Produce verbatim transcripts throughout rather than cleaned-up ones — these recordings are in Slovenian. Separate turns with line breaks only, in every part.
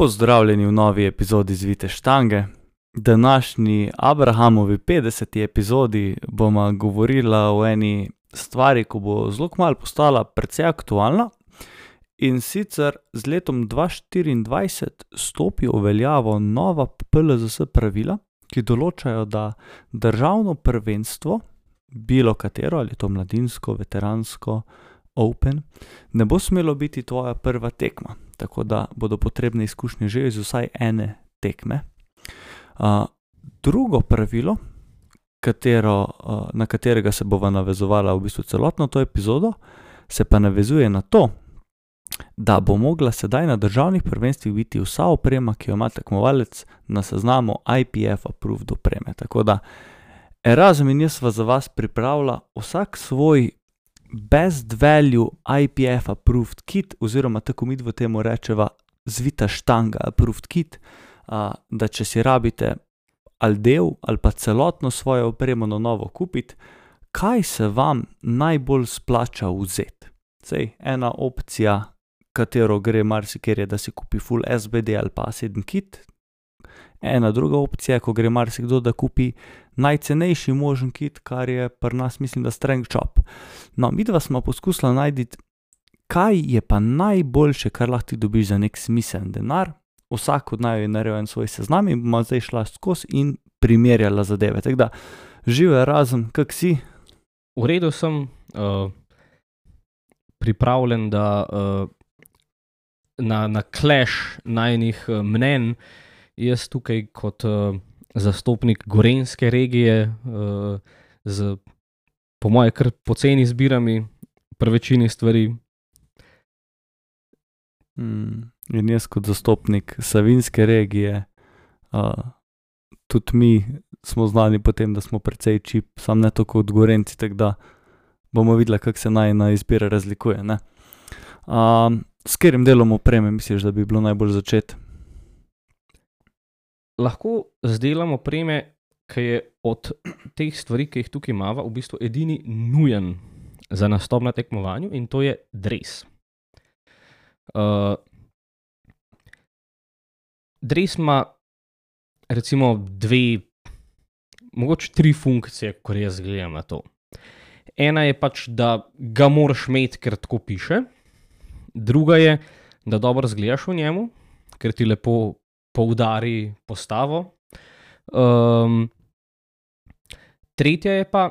Pozdravljeni v novi epizodi Zvite štange. Današnji Abrahamovi petdeseti epizodi bomo govorila o eni stvari, ko bo zelo kmalu postala precej aktualna, in sicer z letom dva štiriindvajset stopi v veljavo nova P L Z S pravila, ki določajo, da državno prvenstvo, bilo katero, ali to mladinsko, veteransko, Open, ne bo smelo biti tvoja prva tekma, tako da bodo potrebne izkušnje že iz vsaj ene tekme. Uh, drugo pravilo, katero, uh, na katerega se bova navezovala v bistvu celotno to epizodo, se pa navezuje na to, da bo mogla sedaj na državnih prvenstvih biti vsa oprema, ki jo ima tekmovalec, na seznamu I P F approved opreme. Tako da Erazem in jaz sva za vas pripravila vsak svoj best value I P F approved kit, oziroma tako mi v temu rečeva Zvita štanga approved kit, a, da če si rabite ali del ali pa celotno svojo opremo na novo kupiti, kaj se vam najbolj splača vzeti. Sej, ena opcija, katero gre marsikjer, je, da si kupi full S B D ali pa A sedem kit. Ena druga opcija, ko gre marsikdo, da kupi najcenejši možen kit, kar je pri nas, mislim, da Strength Shop. No, midva smo poskusila najti, kaj je pa najboljše, kar lahko ti dobiš za nek smiseln denar. Vsak od naju je naredil en svoj seznam in bomo zdaj šla skozi in primerjala zadeve. Tako da, živel Erazem, kak si?
V redu sem, uh, pripravljen, da uh, na, na clash najnih uh, mnenj. Jaz tukaj kot uh, zastopnik gorenjske regije uh, z, po moje, kar poceni zbirami pri večini stvari.
Hmm. In jaz kot zastopnik savinjske regije, uh, tudi mi smo znani po tem, da smo precej čip, sam ne tako kot gorenci, tako da bomo videli, kako se najina izbira razlikuje, ne. Uh, s katerim delom opreme misliš, da bi bilo najbolj začeti?
Lahko z delom opreme, ki je od teh stvari, ki jih tukaj imava, v bistvu edini nujen za nastop na tekmovanju, in to je dres. Uh, dres ima recimo dve, mogoče tri funkcije, ko jaz gledam na to. Ena je pač, da ga moraš imeti, ker tako piše. Druga je, da dobro izgledaš v njemu, ker ti lepo poudari postavo. Um, tretja je pa,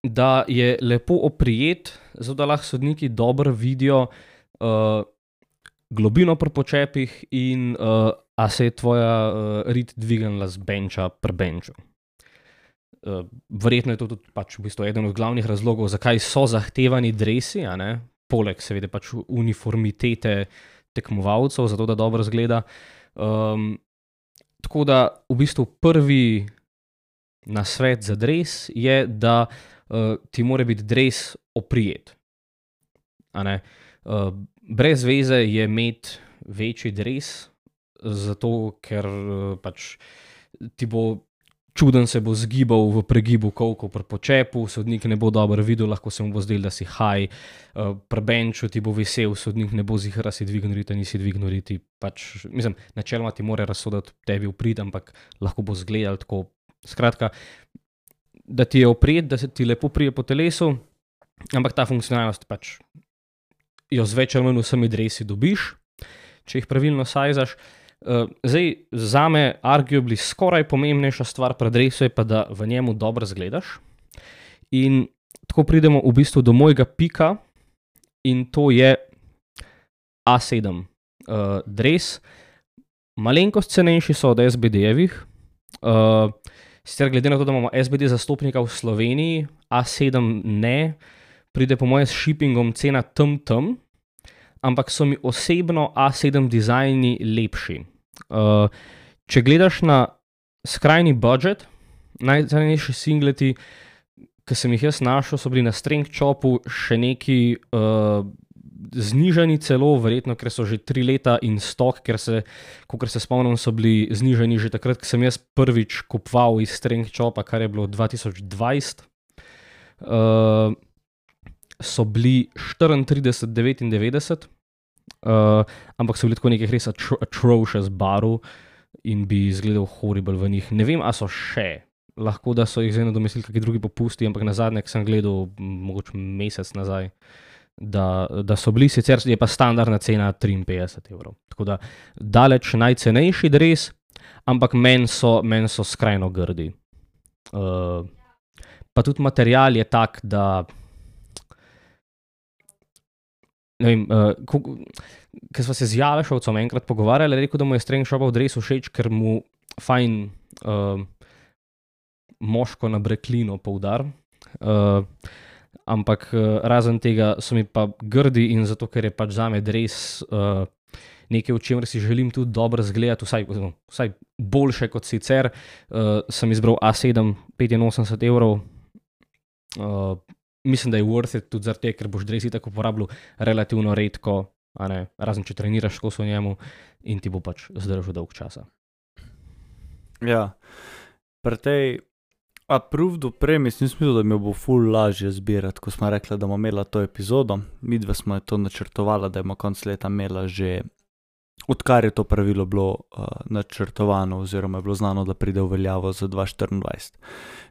da je lepo oprijet, zato da lahko sodniki dobro vidijo uh, globino pri počepih in uh, a se je tvoja uh, rit dvignila z benča pri benču. Uh, verjetno je to tudi pač v bistvu eden od glavnih razlogov, zakaj so zahtevani dresi, a ne? Poleg seveda pač uniformitete tekmovalcev, zato da dobro izgleda. Um, tako da v bistvu prvi nasvet za dres je, da uh, ti mora biti dres oprijet. A ne? Uh, brez veze je imeti večji dres, zato ker uh, pač ti bo čuden se bo zgibal v pregibu kolko pri počepu, sodnik ne bo dobro videl, lahko se mu bo zdel, da si high, uh, pri benču ti bo vesel, sodnik ne bo zihar, si dvignil riti, nisi dvignil riti, pač, mislim, načeloma ti mora razsoditi tebi uprit, ampak lahko bo zgledal tako, skratka, da ti je oprijet, da se ti lepo prije po telesu, ampak ta funkcionalnost pač jo z več ali manj vsemi dresi dobiš, če jih pravilno sajzaš. Uh, zdaj, zame arguably skoraj pomembnejša stvar pri dresu je pa, da v njemu dobro zgledaš. In tako pridemo v bistvu do mojega pika, in to je A sedem uh, dres. Malenkost cenejši so od S B D-jevih. Uh, sicer glede na to, da imamo S B D zastopnika v Sloveniji, A sedem ne, pride po moje s shippingom cena tam tam, ampak so mi osebno A sedem dizajni lepši. Uh, če gledaš na skrajni budget, najcenejši singleti, ki sem jih jaz našel, so bili na Strength Shopu še neki uh, znižani celo, verjetno, ker so že tri leta in stok, ker se, kakor se spomnim, so bili znižani že takrat, ko sem jaz prvič kupoval iz Strength Shopa, kar je bilo dva tisoč dvajset. Uh, so bili štiriintrideset devetindevetdeset uh, ampak so bili tako nekih res atro atrocious barov in bi izgledal horrible v njih. Ne vem, a so še. Lahko, da so jih zdaj nadomestili kakšni drugi popusti, ampak na zadnje, ki sem gledal, mogoče mesec nazaj, da, da so bili, sicer je pa standardna cena triinpetdeset evrov. Tako da daleč najcenejši dres, ampak meni so, men so skrajno grdi. Uh, pa tudi material je tak, da ne vem, uh, ker sva se z Jalešovcem enkrat pogovarjali, je rekel, da mu je Strength Shopov dres všeč, ker mu fajn uh, moško na breklino poudar. Uh, ampak uh, razen tega so mi pa grdi in zato, ker je pač zame dres uh, nekaj, v čemer si želim tudi dobro zgledati, vsaj, vsaj boljše kot sicer, uh, sem izbral A sedem, petinosemdeset evrov. Uh, mislim, da je worth it tudi zaradi tega, ker boš dres itak uporabljal relativno redko, a ne, razen če treniraš kos v njemu in ti bo pač zdržal dolg časa.
Ja, pri tej approved opremi sem mislil, da mi bo ful lažje zbirati, ko smo rekli, da bomo imela to epizodo. Midve smo to načrtovala, da bomo konc leta imela že, odkar je to pravilo bilo uh, načrtovano oziroma je bilo znano, da pride v veljavo za dva tisoč štiriindvajset.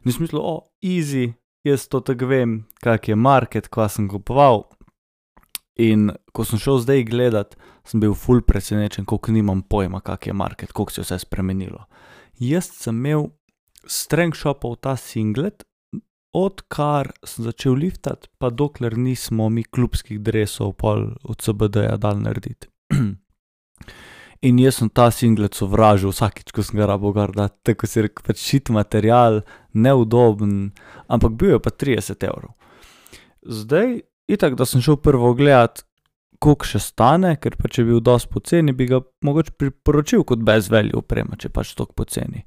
In sem mislil, o, easy, jaz to tako vem, kak je market, kva sem kupoval. In ko sem šel zdaj gledat, sem bil ful presenečen, koliko nimam pojma, kak je market, koliko se je vse spremenilo. Jaz sem imel Strength Shopov ta singlet, odkar sem začel liftati, pa dokler nismo mi klubskih dresov pol od C B D-ja dal narediti. In jaz sem ta singlet sovražil vsakič, ko sem ga rabo gor dati, tako si rekel, pač shit material, neudoben, ampak bil je pa trideset evrov. Zdaj, itak, da sem šel prvo gledat, koliko še stane, ker pa če bi bil dosti poceni, bi ga mogoče priporočil kot best value oprema, če pač toliko poceni.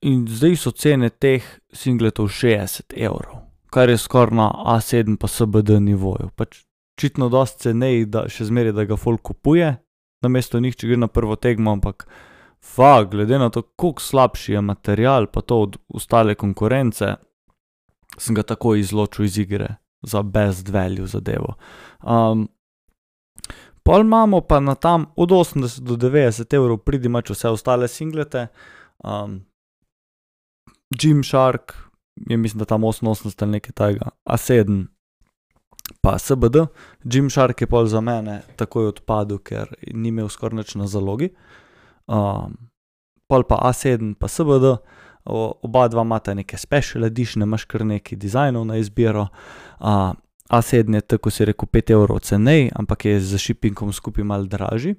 In zdaj so cene teh singletov šestdeset evrov, kar je skoraj na A sedem pa C B D nivoju. Pač očitno dosti cenej, da še zmeraj, da ga folk kupuje, namesto njih, če gre na prvo tekmo, ampak fakt, glede na to, koliko slabši je material, pa to od ostale konkurence, sem ga tako izločil iz igre za best value zadevo. Um, pol imamo pa na tam od osemdeset do devetdeset evrov pridi mač vse ostale singlete. Um, Gymshark je mislim, da tam oseminosemdeset ali nekaj tajega, A sedem pa C B D. Gymshark je pol za mene takoj odpadel, ker ni imel skoraj nič na zalogi. Um, pol pa A sedem pa C B D, o, oba dva imata neke special edition, imaš kar nekaj dizajnov na izbiro. Uh, A sedem je tako si rekel pet evrov cenej, ampak je za shippingom skupaj malo dražji.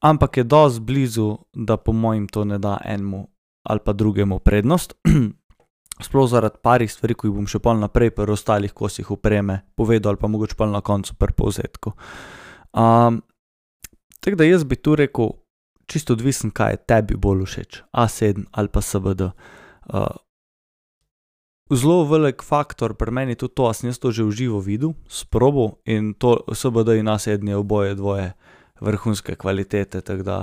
Ampak je dosti blizu, da po mojim to ne da enemu ali pa drugemu prednost. Sploh zaradi parih stvari, ko jih bom še pol naprej pri ostalih kosih opreme povedal ali pa mogoče pol na koncu pri povzetku. Um, tako da jaz bi tu rekel, čisto odvisen, kaj je tebi bolj všeč, A sedem ali pa C B D. Uh, zelo velik faktor pri meni tudi to, a sem jaz to že v živo videl, sprobal in to C B D in A sedem je oboje dvoje vrhunske kvalitete, tako da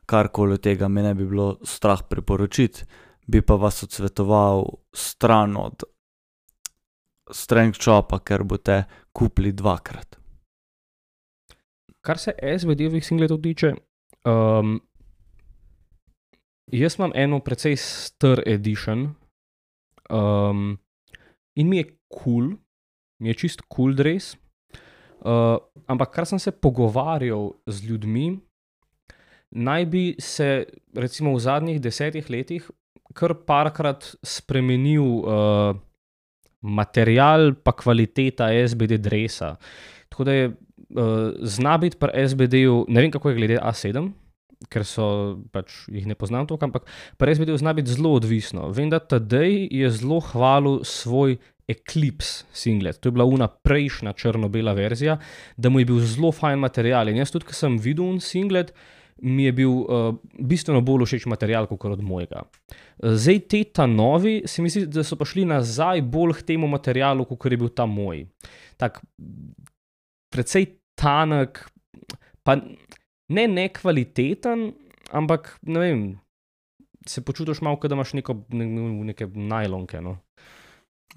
karkoli od tega me ne bi bilo strah priporočiti, bi pa vas odsvetoval stran od Strength Shopa, ker boste kupili dvakrat.
Kar se S B D-ovih singletov tiče, um, jaz imam eno precej star edition um, in mi je cool, mi je čist cool dres, uh, ampak kar sem se pogovarjal z ljudmi, naj bi se recimo v zadnjih desetih letih kar parkrat spremenil uh, material pa kvaliteta S B D dresa. Tako da je uh, zna biti pri S B D-ju, ne vem kako je glede A sedem, ker so, pač jih ne poznam toliko, ampak pri S B D-ju zna biti zelo odvisno. Vem, da Tadej je zelo hvalil svoj Eclipse singlet, to je bila una prejšnja črno-bela verzija, da mu je bil zelo fajn material in jaz tudi, ko sem videl un singlet, mi je bil uh, bistveno bolj všeč material, kot od mojega. Zdaj te ta novi, se mi zdi, da so pa šli nazaj bolj k temu materialu, kot je bil ta moj. Tak, precej tanek, pa ne nekvaliteten, ampak, ne vem, se počutiš malo, kot da imaš neko, ne, neke najlonke, no.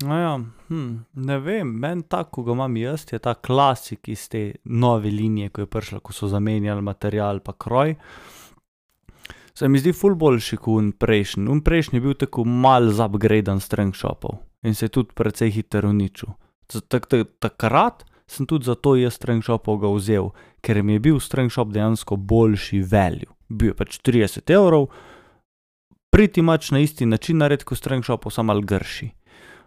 No ja, hm, ne vem, meni tak, ko ga imam jaz, je ta klasik iz te nove linije, ko je prišla, ko so zamenjali material pa kroj. Se mi zdi ful boljši kot un prejšnji. Un prejšnji je bil tako malo zupgradan strength shopov in se je tudi precej hitro uničil. Takrat sem tudi zato jaz strength shopov ga vzel, ker mi je bil strength shop dejansko boljši value. Bil je pač trideset evrov, pretty much na isti način nared kot strength shopov, samo malo grši.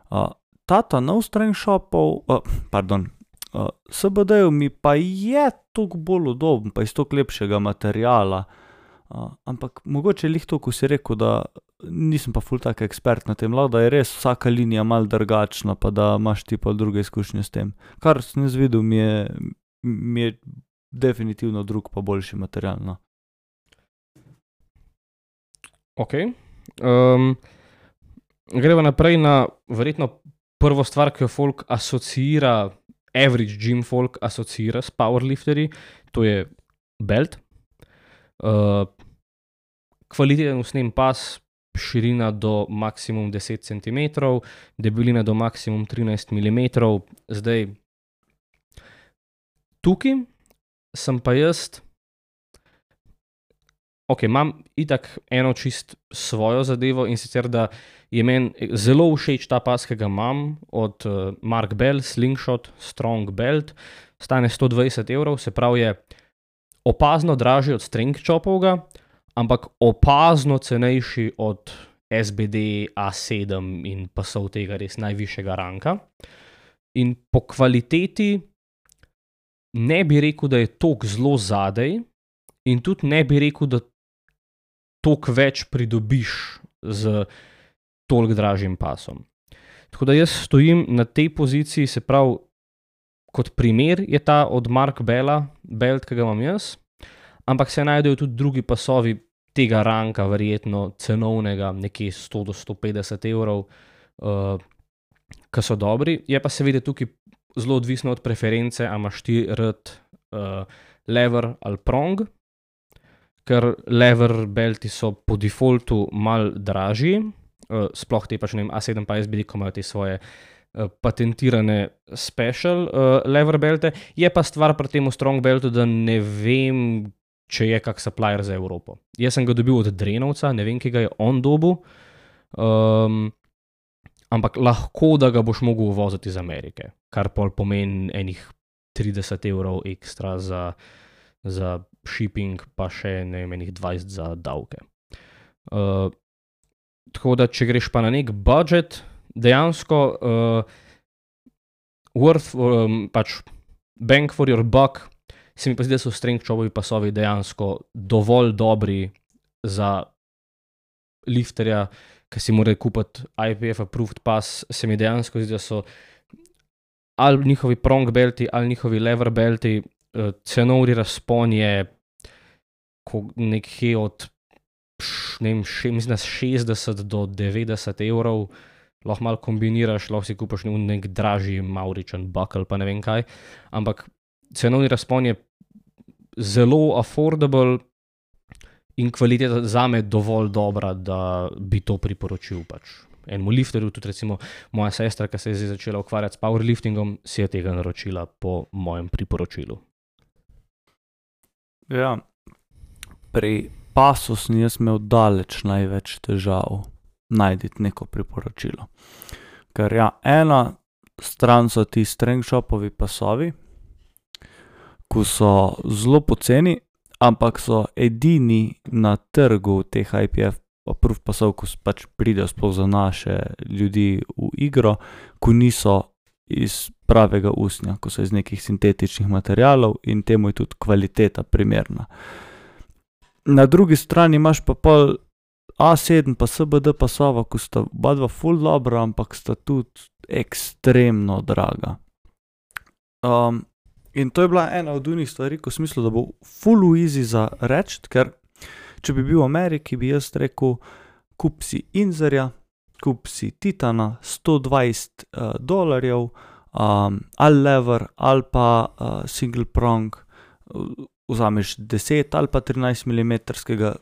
Uh, tata nov strength shopov, uh, pardon, uh, S B D-ju mi pa je toliko bolj udoben, pa iz toliko lepšega materiala. Uh, ampak mogoče je lih to, ko si rekel, da nisem pa ful tak ekspert na tem, lahko da je res vsaka linija malo drugačna, pa da imaš ti pa druge izkušnje s tem. Kar sem jaz videl, mi je, mi je definitivno drug pa boljši material, no.
Ok. Um, greva naprej na verjetno prvo stvar, ki jo folk asociira, average gym folk asociira s powerlifterji, to je belt. Uh, kvaliteten usnjen pas, širina do maksimum deset centimetrov, debelina do maksimum trinajst milimetrov. Zdaj, tukaj sem pa jaz, ok, imam itak eno čist svojo zadevo in sicer, da je meni zelo všeč ta pas, ki ga imam od uh, Mark Bell, Slingshot Strong Belt, stane sto dvajset evrov, se pravi je opazno dražji od strength shopovga, ampak opazno cenejši od S B D, A sedem in pasov tega res najvišjega ranka. In po kvaliteti ne bi rekel, da je toliko zelo zadej in tudi ne bi rekel, da toliko več pridobiš z toliko dražjim pasom. Tako da jaz stojim na tej poziciji, se pravi, kot primer je ta od Mark Bella, belt, ki ga imam jaz, ampak se najdejo tudi drugi pasovi tega ranka, verjetno cenovnega, nekje sto do sto petdeset evrov, uh, ki so dobri. Je pa seveda tukaj zelo odvisno od preference, a imaš ti rad uh, lever ali prong, ker lever belti so po defaultu mal dražji, uh, sploh te pač, ne vem, A sedem pa S B D, ko imajo te svoje patentirane special uh, lever belte. Je pa stvar pri tem strong beltu, da ne vem, če je kak supplier za Evropo. Jaz sem ga dobil od Drenovca, ne vem, ki ga je on dobil, um, ampak lahko, da ga boš mogel uvoziti iz Amerike, kar pol pomeni enih trideset evrov ekstra za, za shipping, pa še ne vem, enih dvajset za davke. Uh, tako da, če greš pa na nek budget, dejansko uh, worth, um, pač bang for your buck, se mi pa zdi, da so strength shopovi pasovi dejansko dovolj dobri za lifterja, ki si mora kupiti I P F approved pas. Se mi dejansko zdi, da so ali njihovi prong belti, ali njihovi lever belti, uh, cenovni razpon je nekje od ne vem, še, mislim, šestdeset do devetdeset evrov, lahko malo kombiniraš, lahko si kupaš nek dražji Mauritian buckle, pa ne vem kaj, ampak cenovni razpon je zelo affordable in kvaliteta zame dovolj dobra, da bi to priporočil pač enemu lifterju. Tudi recimo moja sestra, ki se je zdaj začela ukvarjati s powerliftingom, si je tega naročila po mojem priporočilu.
Ja, pri pasu sem jaz imel daleč največ težav najditi neko priporočilo. Ker ja, ena stran so ti strength shopovi pasovi, ko so zelo poceni, ampak so edini na trgu teh I P F approved pasov, ko pač pridejo sploh za naše ljudi v igro, ko niso iz pravega usnja, ko so iz nekih sintetičnih materialov in temu je tudi kvaliteta primerna. Na drugi strani imaš pa pol A sedem pa S B D pasova, ko sta oba dva ful dobra, ampak sta tudi ekstremno draga. Um, in to je bila ena od unih stvari, ko sem mislil, da bo ful easy za reči, ker če bi bil v Ameriki, bi jaz rekel, kup si Inzerja, kup si Titana, sto dvajset uh, dolarjev, um, ali lever, ali pa uh, single prong, vzameš deset ali pa trinajst milimetrskega,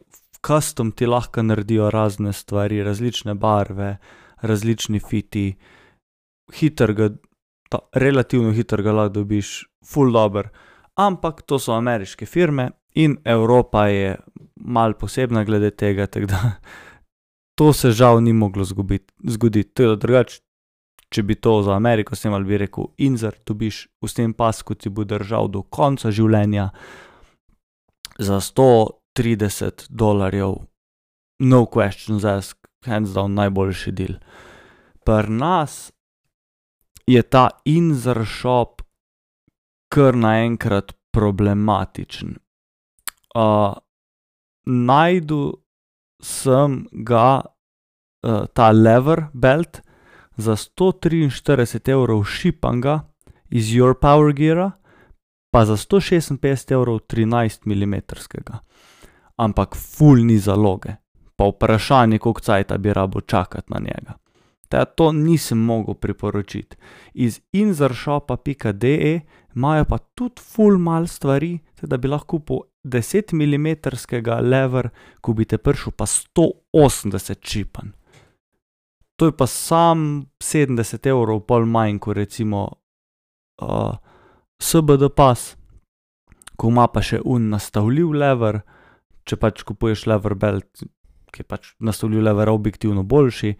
custom ti lahko naredijo razne stvari, različne barve, različni fiti hitrega, ta, relativno hitrega lahko dobiš, ful dober. Ampak to so ameriške firme in Evropa je malo posebna glede tega, tako da to se žal ni moglo zgoditi. zgoditi. To je drugače, če bi to za Ameriko snimal, bi rekel, Inzer, dobiš v tem pasku, ti bo držal do konca življenja za sto trideset dolarjev, no questions asked, hands down, najboljši deal. Pri nas je ta Inzer shop kar naenkrat problematičen. Uh, najdu sem ga, uh, ta lever belt, za sto triinštirideset evrov šipanga iz Your Power Geara, pa za sto šestinpetdeset evrov trinajst milimetrskega. Ampak ful ni zaloge. Pa vprašanje, koliko cajta bi rabo čakati na njega. Ta to nisem mogel priporočiti. Iz inzershopa pika de imajo pa tudi ful mal stvari, da bi lahko po deset milimetrskega lever, ko bi te prišel pa sto osemdeset šipan. To je pa sam sedemdeset evrov pol manj, ko recimo uh, S B D pas, ko ima pa še un nastavljiv lever, če pač kupuješ lever belt, ki je pač nastavljiv lever objektivno boljši,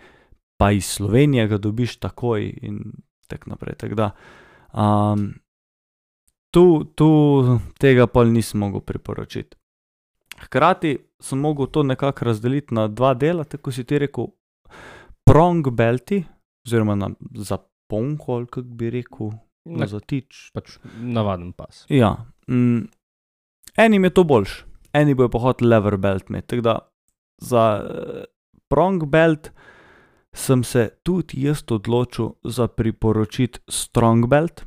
pa iz Slovenije ga dobiš takoj in tak naprej. Tako da, um, tu, tu tega pol nisem mogel priporočiti. Hkrati sem mogel to nekako razdeliti na dva dela, tako si ti rekel, prong belti, oziroma na zaponko, ali kak bi rekel, na zatič.
Pač navaden pas.
Ja. Mm, enim je to boljš, eni bojo pa hotel lever belt imeti, tako da za uh, prong belt sem se tudi jaz odločil za priporočiti strong belt,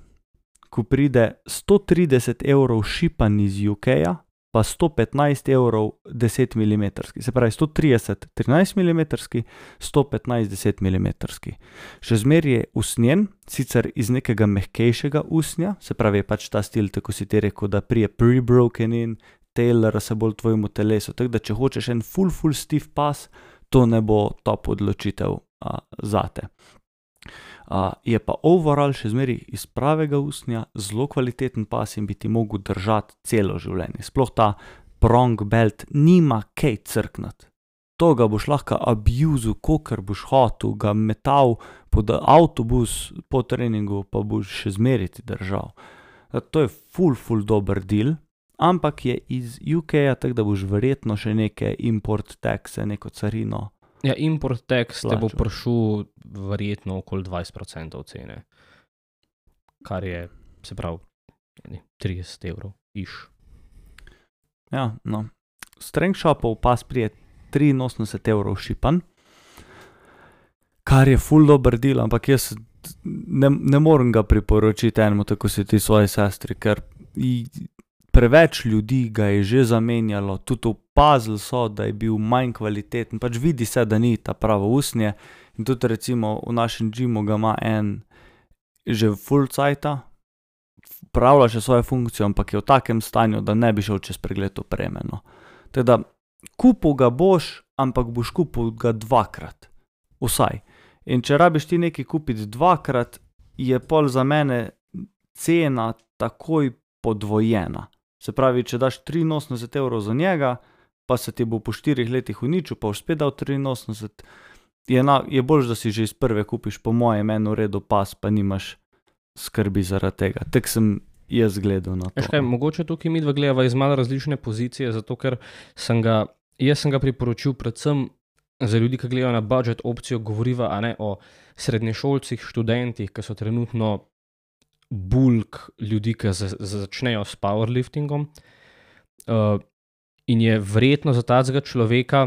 ko pride sto trideset evrov šipan iz U K-ja, pa sto petnajst evrov deset milimetrski, se pravi sto trideset trinajst milimetrski, sto petnajst deset milimetrski. Še zmeraj je usnjen, sicer iz nekega mehkejšega usnja, se pravi je pač ta stil, tako si ti rekel, da prije pre-broken in tailor se bolj tvojemu telesu, tako da če hočeš en full full stiff pas, to ne bo top odločitev a, zate. A, je pa overall še zmeraj iz pravega usnja, zelo kvaliteten pas in bi ti mogel držati celo življenje. Sploh ta prong belt nima kaj crknati. To ga boš lahko abuzil, kolikor boš hotel, ga metal pod avtobus po treningu, pa boš še zmeraj ti držal. To je full full dober deal, ampak je iz U K-ja, tako da boš verjetno še neke import taxe, neko carino.
Ja, import tax te bo prišel verjetno okoli dvajset procentov cene, kar je, se pravi, trideset evrov iš.
Ja, no. Strength shopov pas prije triinosemdeset evrov šipan, kar je full dober deal, ampak jaz ne, ne morem ga priporočiti enemu, tako si ti svoji sestri, ker preveč ljudi ga je že zamenjalo, tudi opazili so, da je bil manj kvaliteten, pač vidi se, da ni ta pravo usnje in tudi recimo v našem gymu ga ima en že full cajta, pravlja še svojo funkcijo, ampak je v takem stanju, da ne bi šel čez pregled opreme, no. Teda, kupil ga boš, ampak boš kupil ga dvakrat, vsaj. In če rabiš ti nekaj kupiti dvakrat, je pol za mene cena takoj podvojena. Se pravi, če daš triinosemdeset evrov za njega, pa se ti bo po štirih letih uničil, pa boš spet dal triinosemdeset, je, na, je boljš, da si že iz prve kupiš po mojem eno redu pas, pa nimaš skrbi zaradi tega. Tak sem jaz gledal na to.
Kaj, mogoče tukaj mi dva gledava iz malo različne pozicije, zato ker sem ga, jaz sem ga priporočil predvsem za ljudi, ki gledajo na budget opcijo, govoriva a ne o srednješolcih, študentih, ki so trenutno bulk ljudi, ki začnejo s powerliftingom, uh, in je verjetno za tacega človeka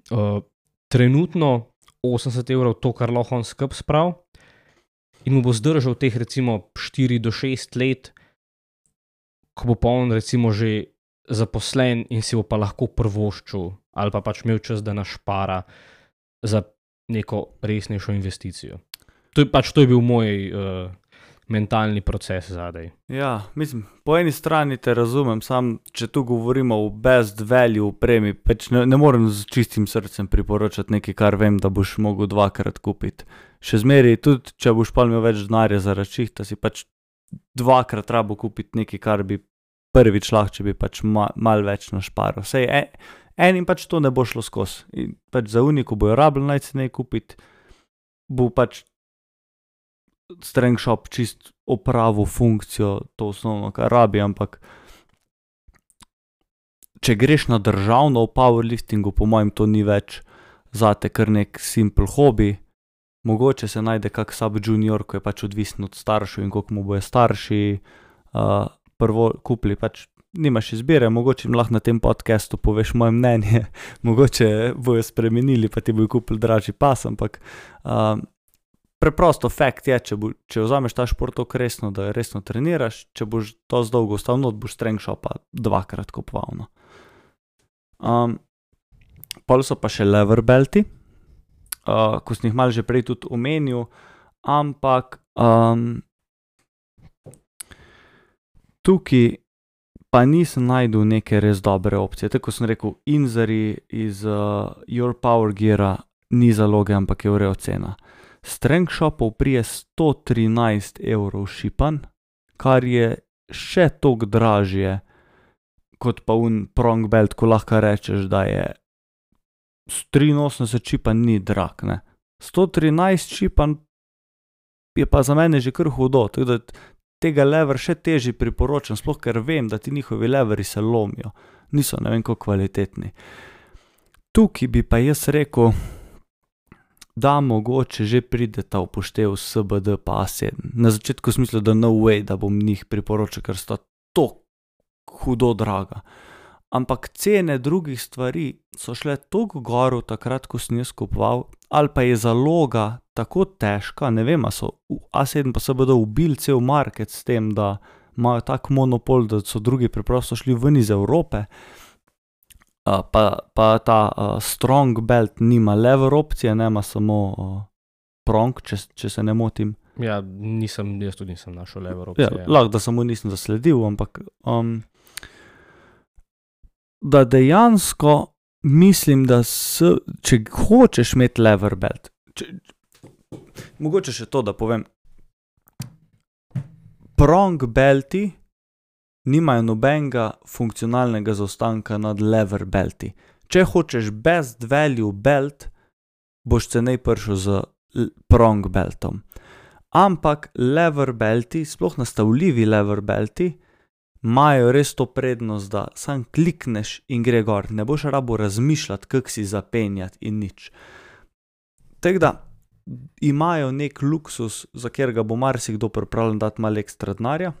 uh, trenutno osemdeset evrov to, kar lahko on skup sprav, in mu bo zdržal teh recimo štiri do šest let, ko bo pa on recimo že zaposlen in si bo pa lahko prvoščil, ali pa pač imel čas, da našpara za neko resnejšo investicijo. To je pač, to je bil moj uh, mentalni proces zadaj.
Ja, mislim, po eni strani te razumem, sam če tu govorimo o best value opremi, pač ne, ne morem z čistim srcem priporočati nekaj, kar vem, da boš mogel dvakrat kupiti. Še zmeri, tudi če boš pa imel več denarja za račihta, si pač dvakrat rabo kupiti nekaj, kar bi prvič lahko, če bi pač ma, mal več našparal. Sej en, enim pač to ne bo šlo skozi. In pač za uniku bojo rabili najcenej kupiti, bo pač Strengshop čist opravil funkcijo, to osnovno, kar rabi, ampak če greš na državno v powerliftingu, po mojem to ni več zate kar nek simple hobi. Mogoče se najde kak sub junior, ko je pač odvisen od staršev in koliko mu bojo starši uh, prvo kupili, pač nimaš izbire, mogoče jim lahko na tem podcastu poveš moje mnenje, mogoče bojo spremenili, pa ti bojo kupili dražji pas, ampak uh, preprosto fakt je, če, bo, če vzameš ta šport tako resno, da resno treniraš, če boš to zdolgo ostal not, boš Strengshopa dvakrat kupoval. No. Um, pol so pa še lever belti, uh, ko sem jih malo že prej tudi omenil, ampak um, tukaj pa nisem najdel neke res dobre opcije. Tako sem rekel, Inzari iz uh, Your Power Geara ni zaloge, ampak je v redu cena. Strengshopov prije sto trinajst evrov šipan, kar je še toliko dražje kot pa un prong belt, ko lahko rečeš, da je triinosemdeset šipan ni drag, ne. sto trinajst šipan je pa za mene že kar hudo, tako da tega lever še težje priporočam, sploh ker vem, da ti njihovi leveri se lomijo, niso ne vem koliko kvalitetni. Tukaj bi pa jaz rekel, da mogoče že prideta upoštev S B D pa A sedem. Na začetku sem mislil, da no way, da bom njih priporočil, ker sta to hudo draga. Ampak cene drugih stvari so šle toliko gor takrat, ko sem jaz kupoval, ali pa je zaloga tako težka, ne vem, a so A sedem pa S B D ubili cel market s tem, da imajo tak monopol, da so drugi preprosto šli ven iz Evrope. Uh, pa, pa ta uh, strong belt nima lever opcije, nema samo uh, prong, če, če se ne motim.
Ja, nisem, jaz tudi nisem našel lever opcije.
Ja, lahko, da samo nisem zasledil, ampak um, da dejansko mislim, da s, če hočeš imeti lever belt, če, mogoče še to, da povem, prong belti nimajo nobenega funkcionalnega zaostanka nad lever belti. Če hočeš best value belt, boš cenej prišel z prong beltom. Ampak lever belti, sploh nastavljivi lever belti, imajo res to prednost, da sam klikneš in gre gor. Ne boš rabo razmišljati, kako si zapenjati in nič. Tako da imajo nek luksus, za katerega bo marsikdo pripravljen dati malo ekstra denarja.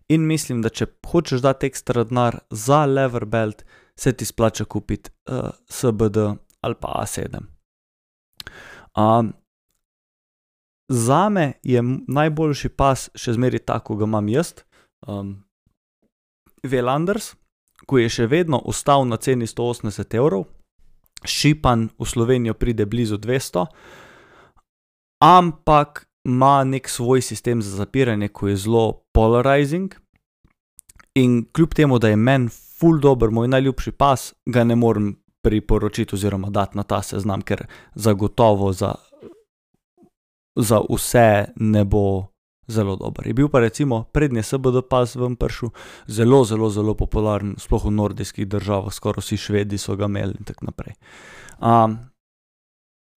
In mislim, da če hočeš dati ekstra denar za lever belt, se ti splača kupiti uh, S B D ali pa A sedem. Um, zame je najboljši pas še zmeri ta, ko ga imam jaz, um, Velanders, ko je še vedno ostal na ceni sto osemdeset evrov, šipan v Slovenijo pride blizu dvesto, ampak ima nek svoj sistem za zapiranje, ko je zelo polarizing in kljub temu, da je meni ful dober, moj najljubši pas, ga ne morem priporočiti oziroma dati na ta seznam, ker zagotovo za, za vse ne bo zelo dober. Je bil pa recimo prednji S B D pas ven prišel, zelo, zelo, zelo popularen, sploh v nordijskih državah, skoraj vsi Švedi so ga imeli in tako naprej. Um,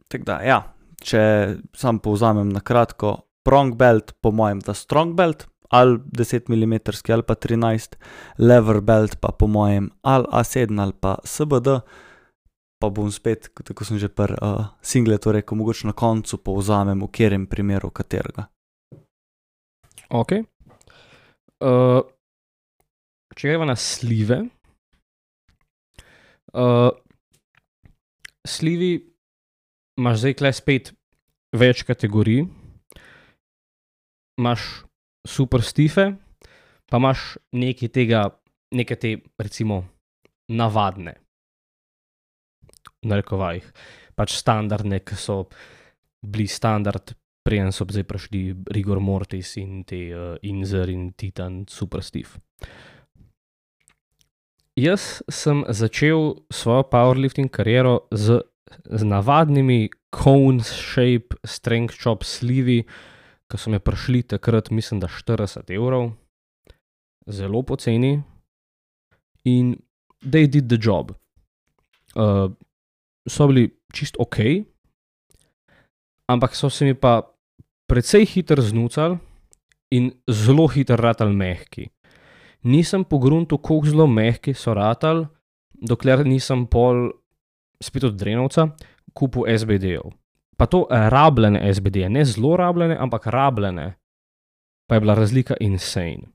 tako da, ja. Če sam povzamem na kratko, prong belt, po mojem, da strong belt, ali deset milimetrov ali pa trinajst, lever belt pa po mojem, ali A sedem ali pa S B D, pa bom spet, tako sem že pri uh, singletu rekel, mogoče na koncu povzamem, v katerem primeru katerega.
Ok. Uh, če greva na slive, uh, slivi imaš zdaj kle spet več kategorij, imaš super stife, pa imaš nekaj tega, nekaj te, recimo, navadne, v narekovajih, pač standardne, ki so bili standard preden so zdaj prišli Rigor Mortis in te uh, Inzer in Titan Super Steve. Jaz sem začel svojo powerlifting kariero z, z navadnimi cone shape strength chop slivi, ki so me prišli takrat, mislim, da štirideset evrov, zelo poceni, in they did the job. Uh, so bili čist ok, ampak so se mi pa precej hitro znucali in zelo hitro ratali mehki. Nisem pogruntil, koliko zelo mehki so ratali, dokler nisem pol, spet od Drenovca, kupil S B D-jev. Pa to rabljene S B D-je, ne zelo rabljene, ampak rabljene, pa je bila razlika insane.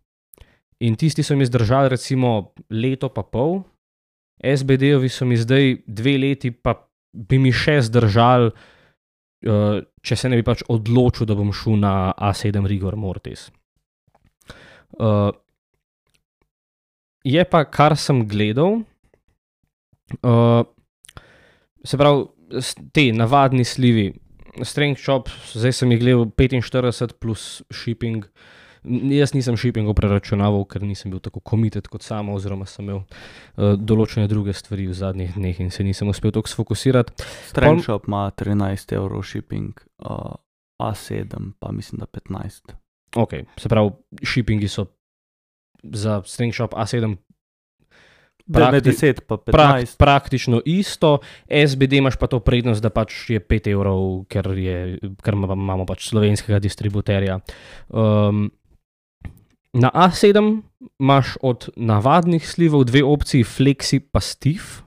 In tisti so mi zdržali recimo leto pa pol, S B D-jevi so mi zdaj dve leti, pa bi mi še zdržali, uh, če se ne bi pač odločil, da bom šel na A sedem Rigor Mortis. Uh, je pa, kar sem gledal, uh, se pravi, te navadni slivi, strength chop, zdaj sem jih gledal petinštirideset plus shipping. Jaz nisem shippingov preračunaval, ker nisem bil tako committed kot samo, oziroma sem imel uh, določene druge stvari v zadnjih dneh in se nisem uspel toliko sfokusirati.
Strength Pol... shop ima trinajst evrov shipping, uh, A sedem pa mislim, da petnajst.
Ok, se pravi, shippingi so za strength shop A sedem
Prakti... deset pa petnajst.
Prak, praktično isto, S B D imaš pa to prednost, da pač je pet evrov, ker, je, ker imamo pač slovenskega distributerja. Um, na A sedem imaš od navadnih slivov dve opciji, Flexi pa Steve,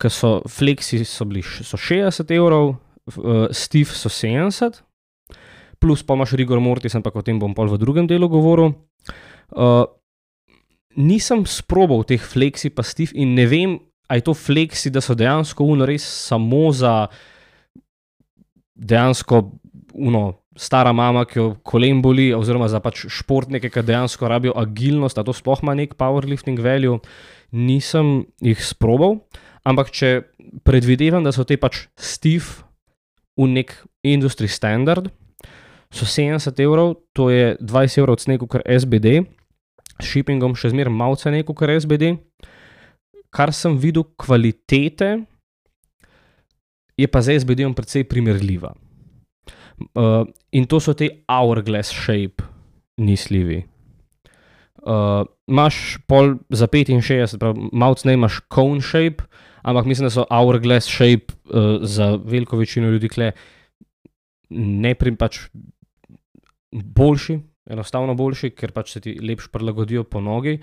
ki so Flexi so bili so šestdeset evrov, uh, Steve so sedemdeset, plus pa imaš Rigor Mortis, ampak o tem bom pol v drugem delu govoril. Uh, Nisem sprobal teh Flexi pa Steve in ne vem, a je to Flexi, da so dejansko uno res samo za dejansko uno stara mama, ki jo kolen boli, oziroma za pač športnike, ki dejansko rabijo agilnost, a to sploh ima nek powerlifting value. Nisem jih sprobal, ampak če predvidevam, da so te pač Steve v nek industry standard, so sedemdeset evrov, to je dvajset evrov cene kot S B D, s shippingom še zmeraj malo cene kot S B D. Kar sem videl kvalitete, je pa z S B D-om precej primerljiva. Uh, in to so te hourglass shape nislivi. Uh, imaš pol za petinšestdeset, malo cene imaš cone shape, ampak mislim, da so hourglass shape uh, za veliko večino ljudi kle ne prim pač boljši, enostavno boljši, ker pač se ti lepš prilagodijo po nogi.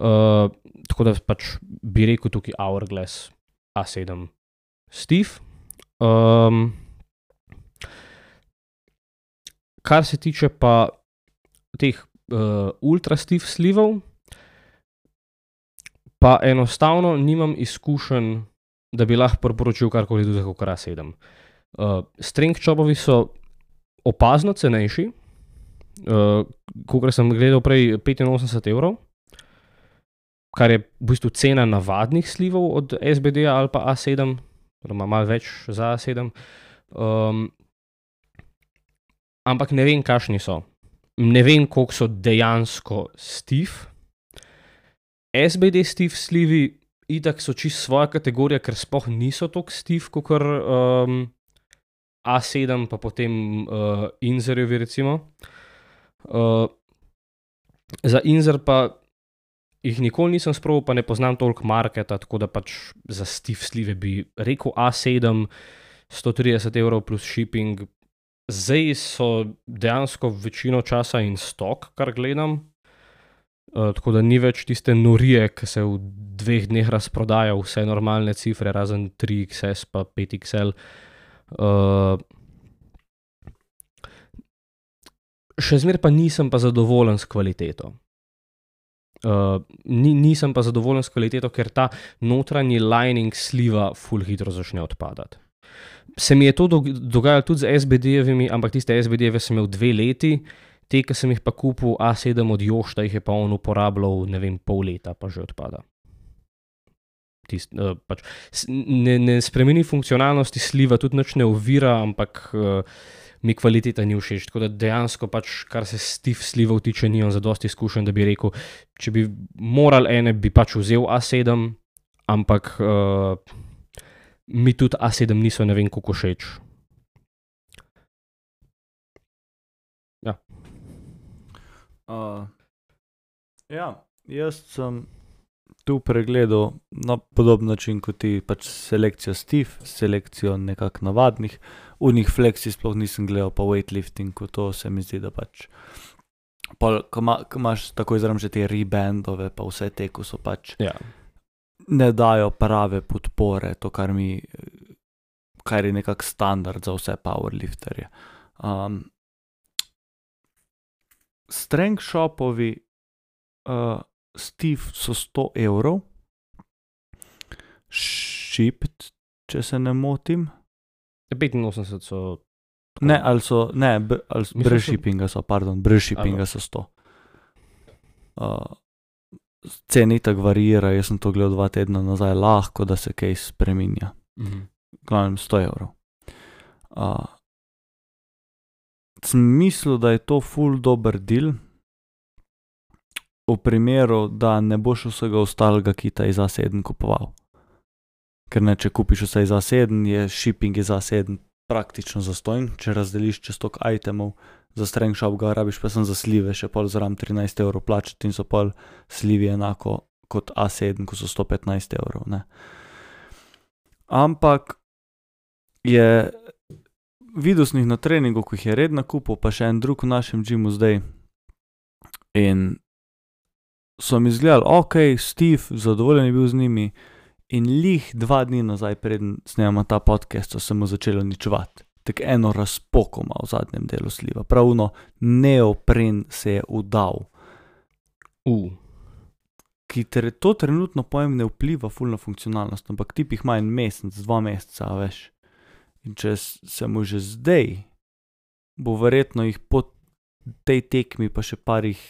Uh, tako da pač bi rekel tukaj hourglass A sedem Steve. Um, kar se tiče pa teh uh, ultra Steve slivov, pa enostavno nimam izkušenj, da bi lahko priporočil karkoli tudi kot A sedem. Uh, strength chopovi so opazno cenejši, uh, kakor sem gledal prej, petinosemdeset evrov, kar je v bistvu cena navadnih slivov od S B D-ja ali pa A sedem, oziroma malo več za A sedem. Um, ampak ne vem, kakšni so. Ne vem, koliko so dejansko Steve. S B D Steve slivi itak so čisto svoja kategorija, ker sploh niso toliko Steve, kakor um, A sedem, pa potem uh, Inzerjevi recimo. Uh, za Inzer pa jih nikoli nisem sprobal, pa ne poznam toliko marketa, tako da pač za Steve slive bi rekel A sedem, sto trideset evrov plus shipping. Zdaj so dejansko večino časa in stok, kar gledam. Uh, tako da ni več tiste norije, ki se v dveh dneh razprodaja vse normalne cifre, razen tri X S pa pet X L. Uh, še zmer pa nisem pa zadovoljen s kvaliteto. Uh, ni, nisem pa zadovoljen s kvaliteto, ker ta notranji lining sliva ful hitro začne odpadati. Se mi je to dogajalo tudi z S B D-jevimi, ampak tiste S B D-jeve sem imel dve leti, te, ki sem jih pa kupil A sedem od Jošta, jih je pa on uporabljal, ne vem, pol leta, pa že odpada. Tist, uh, pač, ne, ne spremeni funkcionalnosti sliva, tudi nič ne ovira, ampak uh, mi kvaliteta ni všeč. Tako da dejansko pač, kar se stiff slivov tiče, nimam zadosti izkušenj, da bi rekel, če bi moral ene, bi pač vzel A sedem, ampak uh, mi tudi A sedem niso ne vem koliko všeč. Ja.
Uh, ja, jaz sem tu pregledal na podoben način kot ti, pač selekcijo stiff, selekcijo nekako navadnih, v njih flexi sploh nisem gledal, pa weightlifting, ko to se mi zdi, da pač, pol, ko, ma, ko imaš tako izram že te rebandove, pa vse te, ko so pač,
Ja.
ne dajo prave podpore, to, kar mi, kar je nekak standard za vse powerlifterje. Um, strength shopovi, uh, stiff so sto evrov, shipped, če se ne motim.
petinosemdeset so...
Ne, ali so, ne, b, ali
Mislim,
brez
so-
shippinga so, pardon, brez shippinga so sto. Uh, cene itak variira, jaz sem to gledal dva tedna nazaj, lahko da se kaj spreminja.
Mhm.
Glavnem sto evrov. Uh, sem mislil, da je to ful dober deal, v primeru, da ne boš vsega ostalega kita iz A sedem kupoval. Ker ne, če kupiš vse iz A sedem, je shipping iz A sedem praktično zastojn, če razdeliš čez toliko itemov, za strength shop ga rabiš pa sem za slive, še pol zraven trinajst evrov plačati in so pol slivi enako kot A sedem, ko so sto petnajst evrov, ne. Ampak je videl sem jih na treningu, ko jih je redno kupil, pa še en drug v našem gymu zdaj. In so mi izgledali, ok, Steve, zadovoljen je bil z njimi in lih dva dni nazaj, preden snemamo ta podcast, so se mu začeli uničevati. Tako eno razpoko ima v zadnjem delu sliva. Pravno neopren se je udal.
Uh.
Ki tre, to trenutno pojem ne vpliva ful na funkcionalnost, ampak tip jih ima en mesec, dva meseca, a veš. In če s- se mu že zdaj, bo verjetno jih po tej tekmi pa še parih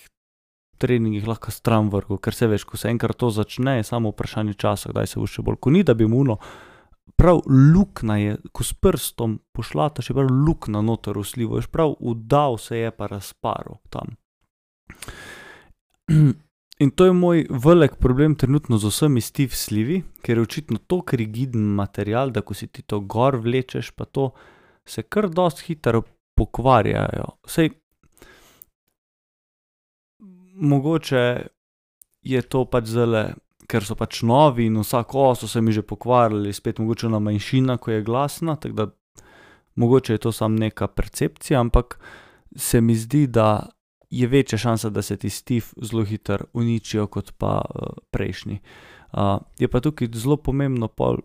treningih lahko stran vrgel, ker se veš, ko se enkrat to začne, je samo vprašanje časa, kdaj se bo še bolj. Ko ni, da bi mu ono, prav lukna je, ko s prstom pošlata še prav lukna noter v slivo, veš, prav udal se je pa razparil tam. In to je moj velik problem trenutno z vsemi stiff slivi, ker je očitno toliko rigiden material, da ko si ti to gor vlečeš, pa to se kar dosti hitro pokvarjajo. Sej, mogoče je to pač zele, ker so pač novi in vsako so se mi že pokvarili, spet mogoče ona manjšina, ko je glasna, tako da mogoče je to samo neka percepcija, ampak se mi zdi, da je večja šansa, da se ti stiff zelo hitro uničijo, kot pa uh, prejšnji. Uh, je pa tukaj zelo pomembno, pol,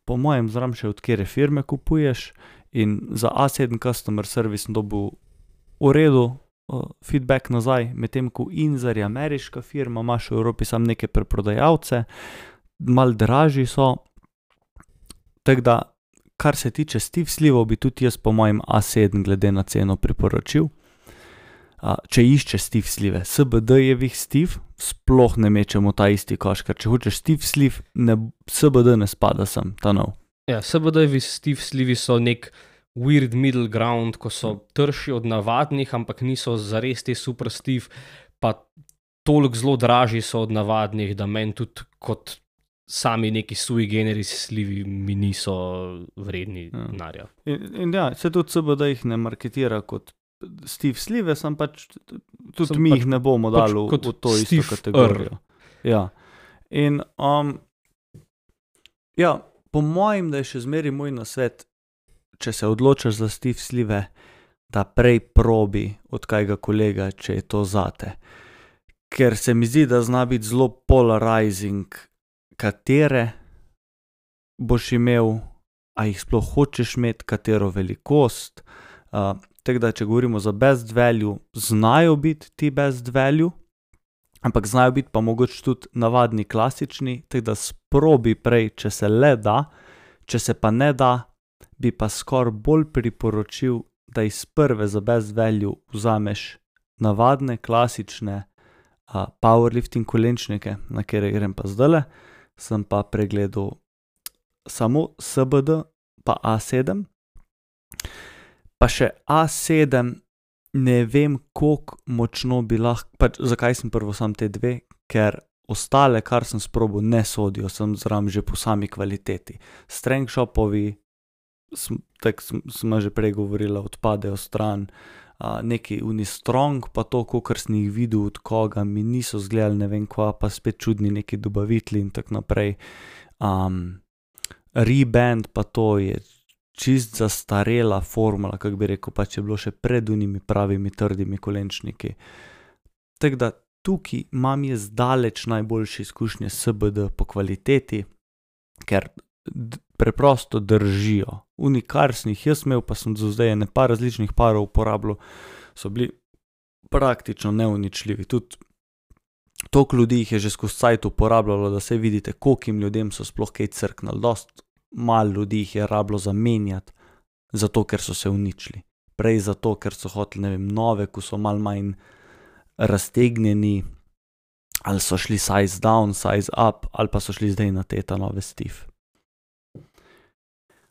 po mojem zram še od kere firme kupuješ in za A sedem customer service sem dobil v redu uh, feedback nazaj, medtem ko Inzer je ameriška firma, imaš v Evropi samo neke preprodajalce, malo dražji so, tako da, kar se tiče stiff slivov, bi tudi jaz po mojem A sedem glede na ceno priporočil. Uh, če iščeš stiff slive, S B D-jevih stiff, sploh ne mečemo ta isti koš, ker če hočeš stiff sliv, ne, S B D ne spada sem, ta nov.
Ja, S B D-jevi stiff slivi so nek weird middle ground, ko so trši od navadnih, ampak niso zares te super stiff, pa toliko zelo dražji so od navadnih, da meni tudi kot sami neki sui generis slivi mi niso vredni
Ja.
denarja.
In, in ja, se tudi S B D jih ne marketira kot stiff slive, sem pač, tudi
Sem
mi
pač-
jih ne bomo
pač
dali v,
kot
v to isto
stiff
kategorijo. Ja. In, um, ja, po mojem, da je še zmeri moj nasvet, če se odločaš za stiff slive, da prej probi od kajga kolega, če je to zate. Ker se mi zdi, da zna biti zelo polarizing, katere boš imel, a jih sploh hočeš imeti, katero velikost. Uh, tako da, če govorimo za best value, znajo biti ti best value, ampak znajo biti pa mogoče tudi navadni klasični, tako da sprobi prej, če se le da, če se pa ne da, bi pa skoraj bolj priporočil, da iz prve za best value vzameš navadne, klasične uh, powerlifting kolenčnike, na kere grem pa zdajle, sem pa pregledal samo S B D pa A sedem. pa še A sedem, ne vem, koliko močno bi lahko, pač zakaj sem prvo sam te dve, ker ostale, kar sem sprobil, ne sodijo, sem zraven že po sami kvaliteti. Strength shopovi, tako sem že prej govorila, odpadejo stran, uh, neki Unistrong, pa to, kakor sem jih videl od koga, mi niso zgledali ne vem kva, pa spet čudni neki dobavitelji in tako naprej. Um, Reband pa to je čist zastarela formula, kako bi rekel, pač je bilo še pred unimi pravimi trdimi kolenčniki. Tako da tukaj imam jaz daleč najboljše izkušnje S B D po kvaliteti, ker d- preprosto držijo. Uni, kar sem jih jaz imel, pa sem do zdaj ene par različnih parov uporabljal, so bili praktično neuničljivi. Tudi toliko ljudi jih je že skozi cajt uporabljalo, da se vidite, kolikim ljudem so sploh kaj crknili. Dost malo ljudi jih je rabilo zamenjati, zato ker so se uničili. Prej zato, ker so hoteli, ne vem, nove, ko so malo manj raztegnjeni, ali so šli size down, size up, ali pa so šli zdaj na te ta nove stiff.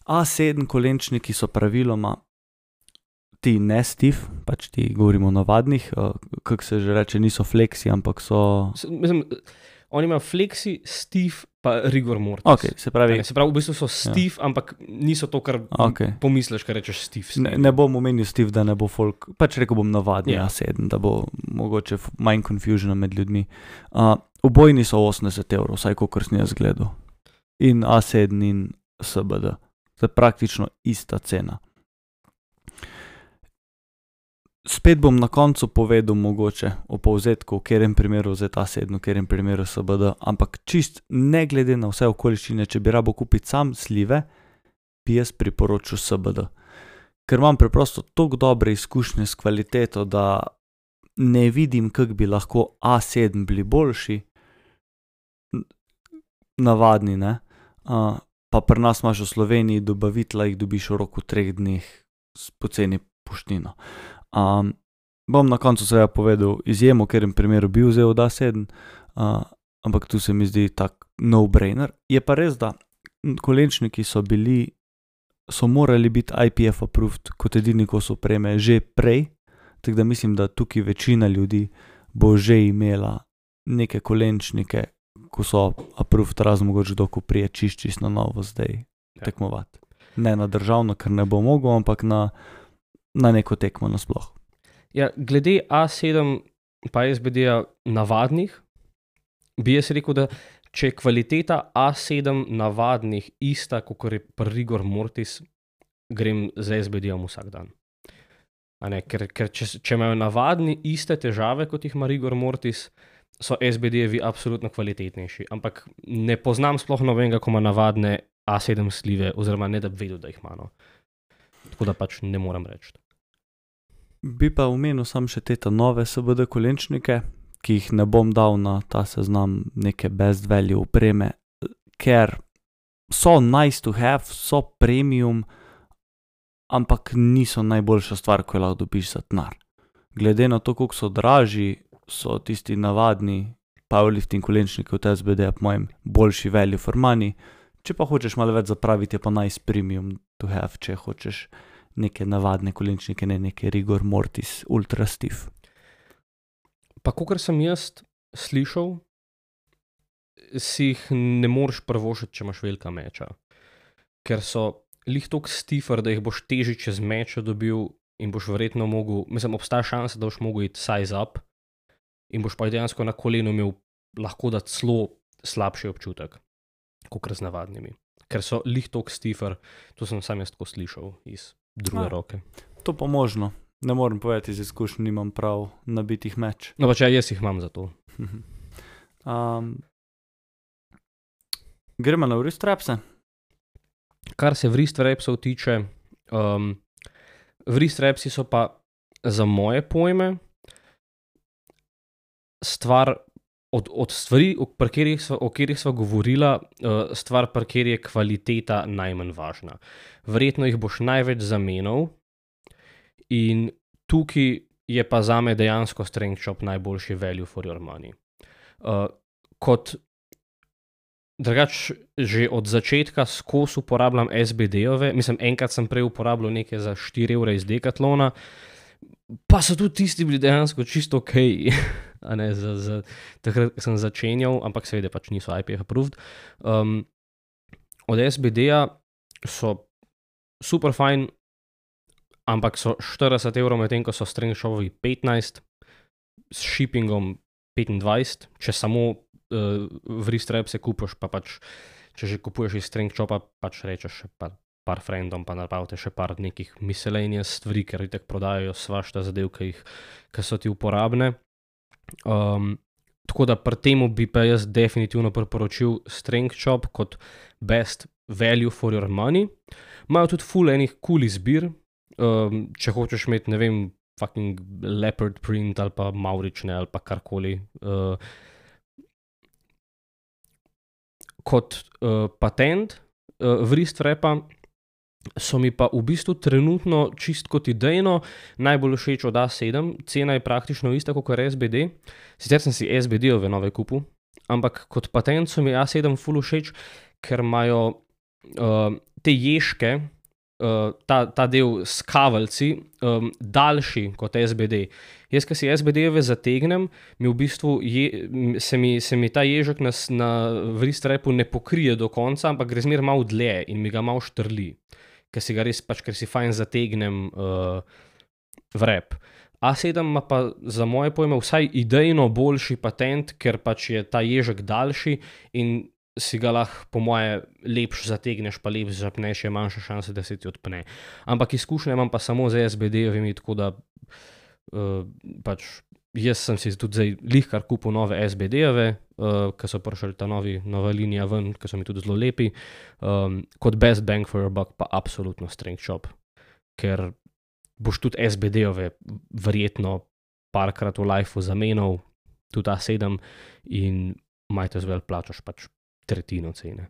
A sedem kolenčniki so praviloma ti ne stiff, pač ti govorimo o navadnih, uh, kako se že reče, niso flexi, ampak so...
S- Mislim, oni imajo flexi, stiff pa rigor mortis.
Ok, se pravi,
Ne, se pravi, v bistvu so stiff, ampak niso to, kar
Ok.
pomisliš, kar rečeš stiff.
ne, ne bom omenil stiff, da ne bo folk, pač rekel bom navadni
Ja.
A sedem, da bo mogoče f- manj confusiona med ljudmi. Uh, obojni so osemdeset evrov, vsaj kakor sem jaz gledal. In A sedem in S B D. To je praktično ista cena. Spet bom na koncu povedal mogoče o povzetku, v katerem primeru vzeti A sedem, v katerem primeru S B D, ampak čist ne glede na vse okoliščine, če bi rabo kupiti sam slive, bi jaz priporočil S B D. Ker imam preprosto toliko dobre izkušnje s kvaliteto, da ne vidim, kako bi lahko A sedem bili boljši, N- navadni, ne. Uh, pa pri nas imaš v Sloveniji dobavitla, jih dobiš v roku treh dneh s poceni poštnino. Um, bom na koncu seveda povedal izjemo, v katerem primeru bi vzel od A sedem, uh, ampak tu se mi zdi tak no-brainer. Je pa res, da kolenčniki so bili, so morali biti I P F approved kot edini kos opreme že prej, tako da mislim, da tukaj večina ljudi bo že imela neke kolenčnike, ko so approved, razen mogoče kdo, ko prije čist, čist na novo zdaj
Ja.
tekmovati. Ne na državno, ker ne bo mogel, ampak na, na neko tekmo nasploh.
Ja, glede A sedem pa S B D-ja navadnih, bi jaz rekel, da če je kvaliteta A sedem navadnih ista, kot je pri rigor mortis, grem z S B D-jem vsak dan. A ne, ker ker če, s- če imajo navadni iste težave, kot jih ima rigor mortis, so S B D-jevi absolutno kvalitetnejši. Ampak ne poznam sploh nobenega, ko ima navadne A sedem slive, oziroma ne da bi vedel, da jih ima. No. Tako da pač ne morem reči.
Bi pa omenil sam še te ta nove S B D kolenčnike, ki jih ne bom dal na ta seznam neke best value opreme, ker so nice to have, so premium, ampak niso najboljša stvar, ko jo lahko dobiš za denar. Glede na to, koliko so dražji, so tisti navadni powerlifting kolenčniki od S B D-ja po mojem boljši value for money. Če pa hočeš malo več zapraviti, je pa nice premium to have, če hočeš neke navadne kolenčnike, ne neke rigor mortis ultra stiff.
Pa kakor sem jaz slišal, si jih ne moreš prvošiti, če imaš velika meča. Ker so lih toliko stiffer, da jih boš težje čez meča dobil in boš verjetno mogel, mislim, obstaja šansa, da boš mogel iti size up in boš pa dejansko na kolenu imel lahko da celo slabši občutek, kot z navadnimi. Ker so lih toliko stiffer, to sem sam jaz tako slišal iz druge
A.
roke.
To pa možno. Ne morem povedati iz izkušenj, nimam prav nabitih meč.
No pač ja, jaz jih imam za to.
um, gremo na wrist strapse.
Kar se wrist wrapsov tiče, um, wrist wrapsi so pa za moje pojme stvar od, od stvari, o katerih sva, o katerih sva govorila, uh, stvar, pri kateri je kvaliteta najmanj važna. Verjetno jih boš največ zamenjal in tukaj je pa zame dejansko Strength Shop najboljši value for your money. Uh, kot drugač že od začetka skozi uporabljam S B D-ove, mislim, enkrat sem prej uporabljal nekaj za štiri evre iz Decathlona, pa so tudi tisti bili dejansko čisto ok, a ne, za, za takrat, ko sem začenjal, ampak seveda pač niso I P F approved. Um, od S B D-ja so super fajn, ampak so štirideset evrov, medtem ko so Strength Shopovi petnajst, s shippingom petindvajset, če samo uh, wrist wrapse kupiš, pa pač, če že kupuješ iz Strength Shopa, pač rečeš še par, par friendom, pa napravite še par nekih miscellaneous stvari, ker itak prodajajo svašta zadev, ki jih, ki so ti uporabne. Um, tako da pri temu bi pa jaz definitivno priporočil Strength Shop kot best value for your money. Imajo tudi ful enih cool izbir, um, če hočeš imeti, ne vem, fucking leopard print ali pa maurične ali pa karkoli. Uh, kot uh, patent uh, wrist wrapa so mi pa v bistvu trenutno čist kot idejno najbolj všeč od A sedem, cena je praktično ista kot S B D, sicer sem si S B D-ove nove kupil, ampak kot patent so mi A sedem ful všeč, ker imajo uh, te ježke, uh, ta, ta del s kaveljci, um, daljši kot S B D. Jaz, ko si S B D-ove zategnem, mi v bistvu je, se, mi, se mi ta ježek na, na wrist wrapu ne pokrije do konca, ampak gre zmer malo dlje in mi ga malo štrli. Ker si ga res, pač, ker si fajn zategnem uh, wrap. A sedem ima pa za moje pojme vsaj idejno boljši patent, ker pač je ta ježek daljši in si ga lahko po moje lepš zategneš, pa lepš zapneš, je manjša šansa, da se ti odpne. Ampak izkušnje imam pa samo z S B D-ovimi, tako da uh, pač jaz sem si tudi zdaj lihkar kupil nove S B D-ove, uh, ki so prišli ta novi, nova linija ven, ki so mi tudi zelo lepi. Um, kot best bang for your buck pa absolutno Strength Shop, ker boš tudi S B D-ove verjetno parkrat v lifeu zamenjal, tudi A sedem in might as well plačaš pač tretjino cene.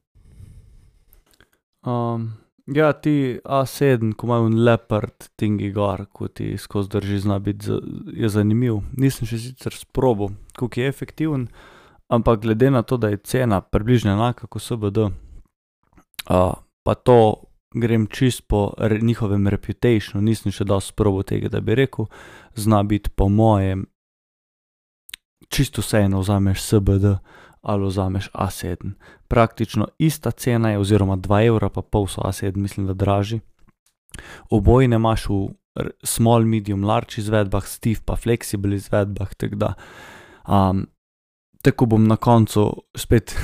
Um, ja, ti A sedem, ko imajo leopard tingi gor, ko ti skozi drži, zna biti, je zanimiv. Nisem še sicer sprobal, koliko je efektiven, ampak glede na to, da je cena približno enaka kot S B D, uh, pa to grem čist po re, njihovem reputationu, nisem še dal sprobal tega, da bi rekel, zna biti po mojem čisto vseeno vzameš S B D ali vzameš A sedem. Praktično ista cena je, oziroma dva evra pa pol so A sedem, mislim, da draži. Obojne imaš v small, medium, large izvedbah, stiff pa flexible izvedbah, tako da um, tako bom na koncu spet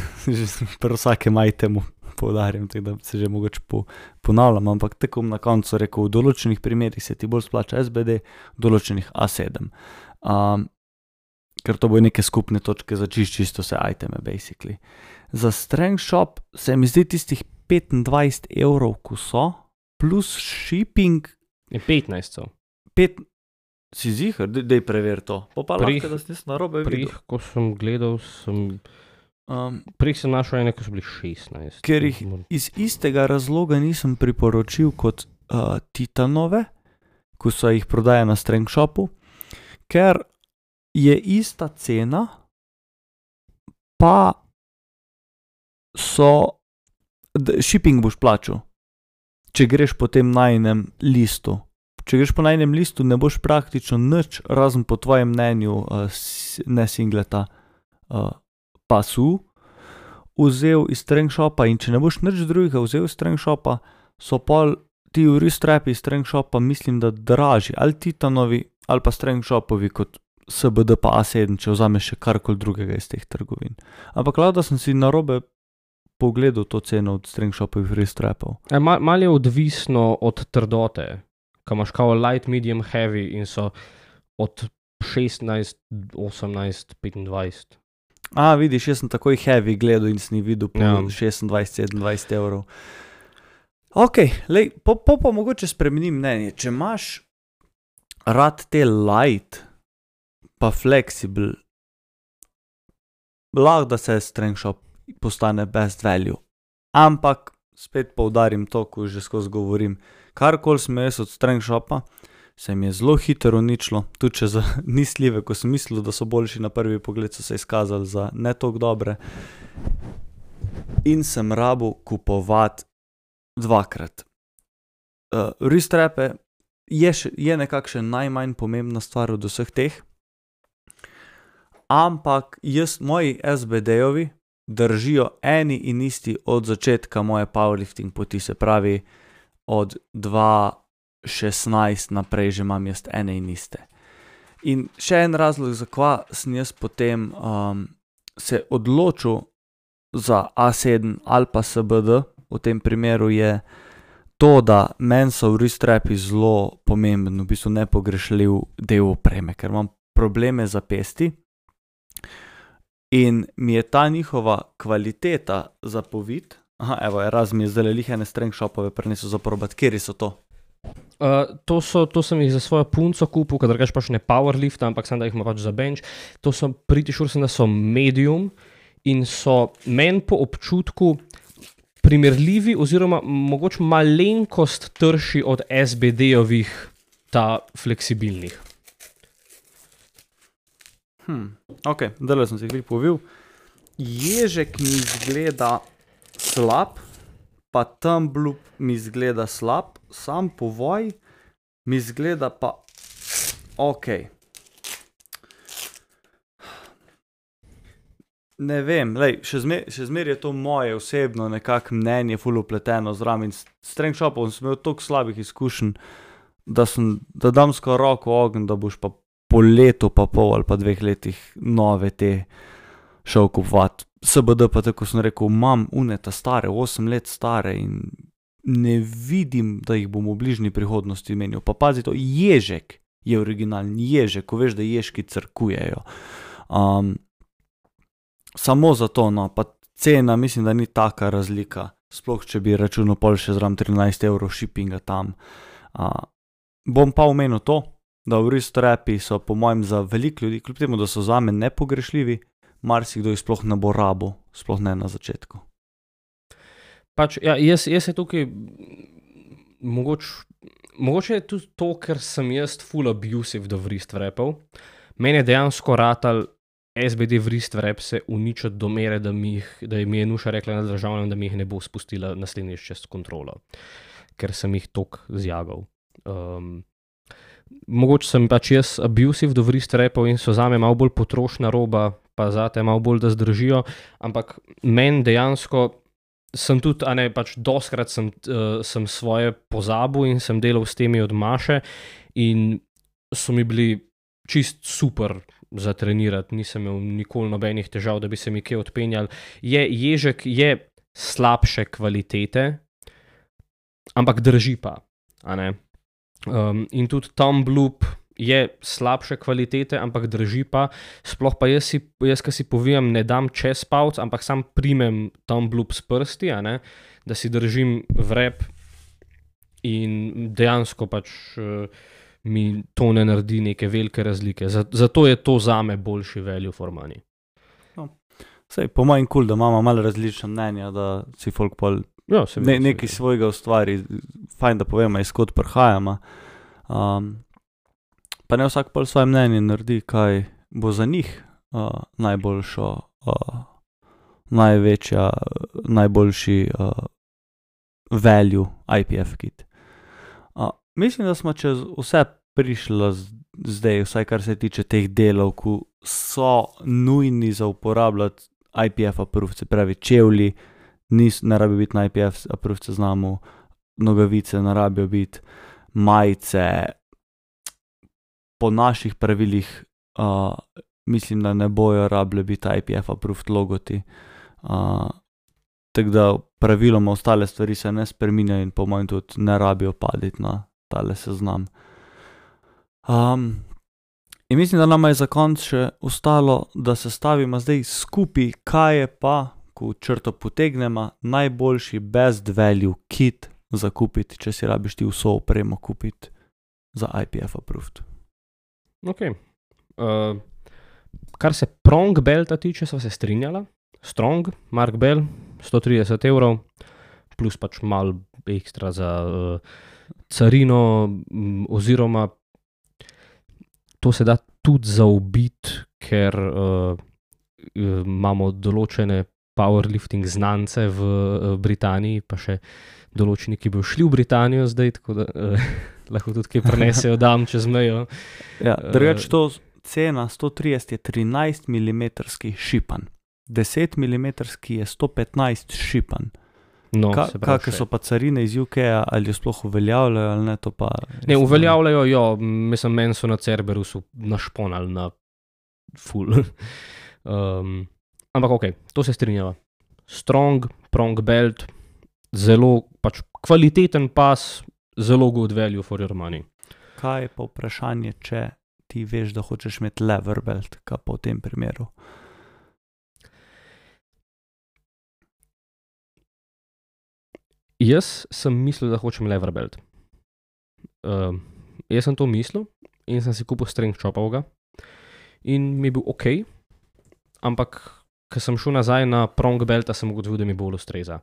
pri vsakem itemu poudarjam, tako da se že mogoče po, ponavljam, ampak tako bom na koncu rekel, v določenih primerih se ti bolj splača S B D, v določenih A sedem. Um, ker to bo neke skupne točke za čist, čisto vse iteme, basically. Za Strength Shop se mi zdi tistih petindvajset evrov, ko so, plus shipping.
Je petnajst so.
Pet, si zihar, dej preveri to. Pa pa lahko, da si narobe videl.
Prih, ko sem gledal, sem, um, prih sem našel ene, ko so bili šestnajst.
Ker jih iz istega razloga nisem priporočil kot uh, Titanove, ko so jih prodaja na Strength Shopu, ker je ista cena, pa so, shipping boš plačal, če greš po tem najnem listu. Če greš po najnem listu, ne boš praktično nič, razen po tvojem mnenju, uh, ne singleta uh, pasu, vzel iz Strength Shopa, in če ne boš nič drugega vzel iz Strength Shopa, so pol ti wrist wrapi iz Strength Shopa, mislim, da dražji, ali Titanovi, ali pa Strength Shopovi kot S B D pa A sedem, če vzameš še karkoli drugega iz teh trgovin. Ampak lahko, da sem si narobe pogledal to ceno od Strength Shopovih wrist wrapov.
E, mal, mal je odvisno od trdote, ko imaš kao light, medium, heavy in so od šestnajst, osemnajst, petindvajset.
A, vidiš, jaz sem takoj heavy gledal in sem jih videl po
Ja.
šestindvajset, sedemindvajset evrov. Ok, lej, po, po pa mogoče spremenim mnenje. Če imaš rad te light pa flexible, lahko da se Strength Shop postane best value. Ampak spet poudarim to, ko že skozi govorim, karkoli sem jaz od Strength Shopa, se mi je zelo hitro uničilo, tudi če za nisljive, ko sem mislil, da so boljši na prvi pogled, so se izkazali za ne toliko dobre. in sem rabil kupovati dvakrat. Uh, Wrist-wrape je, je nekakšen najmanj pomembna stvar od vseh teh, ampak jaz, moji S B D-jovi držijo eni in isti od začetka moje powerlifting poti, se pravi od dva šestnajst naprej že imam jaz ene in iste. In še en razlog, zakva sem jaz potem um, se odločil za A sedem ali pa S B D, v tem primeru je to, da meni so wrist-wrapi zelo pomemben, v bistvu nepogrešljiv del opreme, ker imam probleme za pesti in mi je ta njihova kvaliteta za povid. Aha, evo, raz mi je zdaj lih ene strength shopove prinesel za probati. Kjeri so to?
Uh, to, so, to sem jih za svojo punco kupil, kadar gaš pač ne powerlift, ampak sem da jih ima pač za bench. To so pretty sure, sem, da so medium in so meni po občutku primerljivi oziroma mogoče malenkost trši od S B D-ovih ta fleksibilnih.
Hmm, ok, zdaj sem se jih povil. Ježek mi izgleda slab, pa Thumb Loop mi izgleda slab, sam povoj mi izgleda pa ok. Ne vem, lej, še zmer, še zmer je to moje osebno nekako mnenje ful upleteno zraven. S strength shopom sem imel toliko slabih izkušenj, da sem, da dam skoraj roko v ogenj, da boš pa po letu pa pol ali pa dveh letih nove te šel kupovati. S B D pa tako sem rekel, imam uneta stare, osem let stare in ne vidim, da jih bom v bližnji prihodnosti menil. Pa pazi to, ježek je originalni, ježek, ko veš, da ježki crkujejo. Um, samo zato, no, pa cena mislim, da ni taka razlika, sploh če bi računal pol še zram trinajst evrov shippinga tam. Uh, bom pa omenil to, da wrist-wrapi so po mojem za veliko ljudi, kljub temu, da so zame nepogrešljivi, marsikdo jih sploh ne bo rabo, sploh ne na začetku.
Pač, ja, jaz, jaz je tukaj, mogoče, mogoče je tudi to, ker sem jaz full abusive do wrist-wrapov. Meni je dejansko ratal S B D wrist-wrap se uničiti do mere, da mi, jih, da mi je Nuša rekla na državnem, da mi jih ne bo spustila naslednjič čez kontrolo, ker sem jih toliko zjagal. Um, mogoče sem pač jaz abusive do wrist-wrapov in so zame malo bolj potrošna roba, pa zate malo bolj, da zdržijo, ampak meni dejansko sem tudi, a ne, pač doskrat sem, uh, sem svoje pozabil in sem delal s temi od Maše in so mi bili čist super za trenirati, nisem imel nikoli nobenih težav, da bi se mi kje odpenjal. Je, ježek je slabše kvalitete, ampak drži pa, a ne. Um, in tudi Thumb Loop je slabše kvalitete, ampak drži pa, sploh pa jaz, si, jaz ki si povijam, ne dam čez palc, ampak sam primem Thumb Loop s prsti, a ne, da si držim vrep in dejansko pač uh, mi to ne naredi neke velike razlike. Zato je to zame boljši value for money.
No, sej, po mojem kul, da imamo malo različna mnenja, da si folk pol
ja,
ne, nekaj svojega ustvari, fajn, da povemo, iz kod prihajamo. Um, pa ne vsak pol svoje mnenje naredi, kaj bo za njih uh, najboljšo, uh, največja, najboljši uh, value I P F kit. Uh, mislim, da smo čez vse prišli zdaj, vsaj kar se tiče teh delov, ki so nujni za uporabljati I P F approved, se pravi čevlji, nis, ne rabi biti na I P F approved seznamu, nogavice ne rabijo biti, majice, po naših pravilih uh, mislim, da ne bojo rabile biti I P F approved logoti. Uh, tako da praviloma ostale stvari se ne spreminjajo in po mojem tudi ne rabijo paditi na tale seznam. Um, in mislim, da nama je za konc še ostalo, da se stavimo zdaj skupaj, kaj je pa, ko črto potegnemo, najboljši best value kit za kupiti, če si rabiš ti vso opremo kupiti za I P F approved.
Ok. Uh, kar se Prong belta tiče, sva se strinjala. Strong, Mark Bell, sto trideset evrov, plus pač malo ekstra za uh, carino, m, oziroma to se da tudi zaobiti, ker uh, imamo določene powerlifting znance v uh, Britaniji, pa še določeni, ki bodo šli v Britanijo zdaj, tako da uh, lahko tudi kaj prenesejo dam čez mejo.
Ja, drugače to cena sto trideset je trinajst milimetrski šipan, deset milimetrski je sto petnajst šipan.
No,
Ka,
se pravi
kakve
še.
so pa carine iz U K-ja, ali jo sploh uveljavljajo ali ne, to pa...
Ne, uveljavljajo jo, mislim, meni so na Cerberusu našponali na full. um, ampak ok, to se strinjava. Strong, prong belt, zelo pač kvaliteten pas, zelo good value for your money.
Kaj je pa vprašanje, če ti veš, da hočeš imeti lever belt, kaj pa v tem primeru?
Jaz sem mislil, da hočem lever belt. Uh, jaz sem to mislil in sem si kupil strength chopovega in mi je bil ok, ampak ko sem šel nazaj na prong belta, sem ugotovil, da mi bolj ustreza.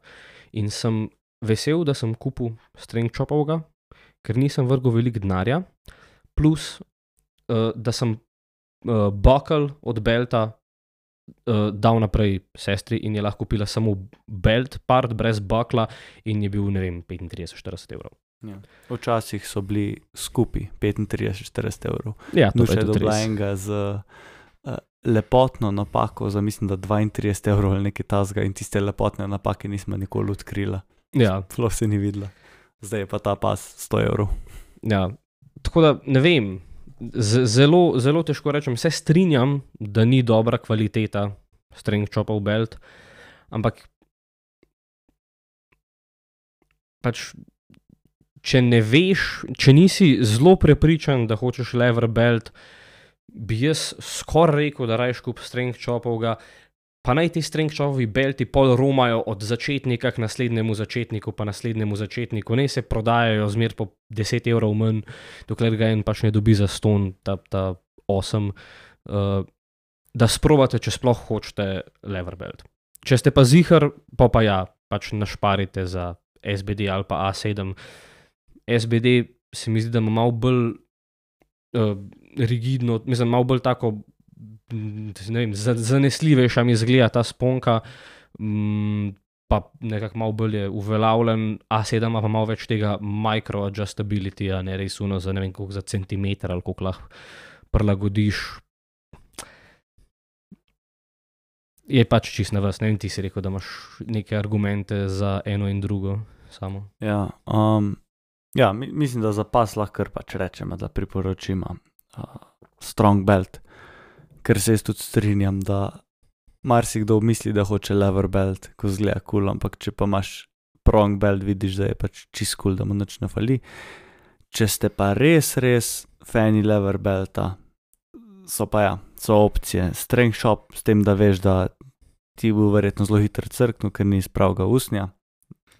In sem vesel, da sem kupil strength chopovega, ker nisem vrgel veliko denarja, plus uh, da sem uh, buckle od belta Uh, dal naprej sestri in je lahko kupila samo belt part brez bakla in je bil, ne vem, petintrideset do štirideset evrov.
Ja. Včasih so bili skupi petintrideset do štirideset evrov.
Ja, to
Nuša
je
je
tudi
dobila
res.
enega z uh, lepotno napako za mislim, da dvaintrideset evrov ali nekaj tasga in tiste lepotne napake nismo nikoli odkrila.
Ja,
Sploh se ni videla. Zdaj je pa ta pas sto evrov.
ja. Tako da, ne vem, Z, zelo, zelo težko rečem, se strinjam, da ni dobra kvaliteta strength chopov belt, ampak pač, če ne veš, če nisi zelo prepričan, da hočeš lever belt, bi jaz skoraj rekel, da rajš kup strength chopovega, pa naj ti strength chopovi belti pol romajo od začetnika k naslednjemu začetniku, pa naslednjemu začetniku, ne se prodajajo zmer po deset evrov manj, dokler ga en pač ne dobi za ston, ta, ta osem, uh, da sprobate, če sploh hočete lever belt. Če ste pa zihar, pa pa ja, pač našparite za S B D ali pa A sedem. S B D se mi zdi, da ima malo bolj uh, rigidno, mislim, malo bolj tako, ne vem, zanesljivejša mi izgleda ta sponka, mm, pa nekako malo bolj je uveljavljen, A sedem pa malo več tega micro-adjustability-ja, ne res uno za ne vem koliko za centimeter ali koliko lahko prilagodiš. Je pač čist na vas, ne vem, ti si rekel, da imaš neke argumente za eno in drugo samo.
Ja, um, ja mi, mislim, da za pas lahko pač rečemo, da priporočimo uh, strong belt. Ker se jaz tudi strinjam, da marsikdo misli, da hoče lever belt, ko zgleda cool, ampak če pa imaš prong belt, vidiš, da je pač čist cool, da mu nič ne fali. Če ste pa res, res fani lever belta, so pa ja, so opcije. Strength chop, s tem, da veš, da ti bo verjetno zelo hitro crknil, ker ni iz pravega usnja.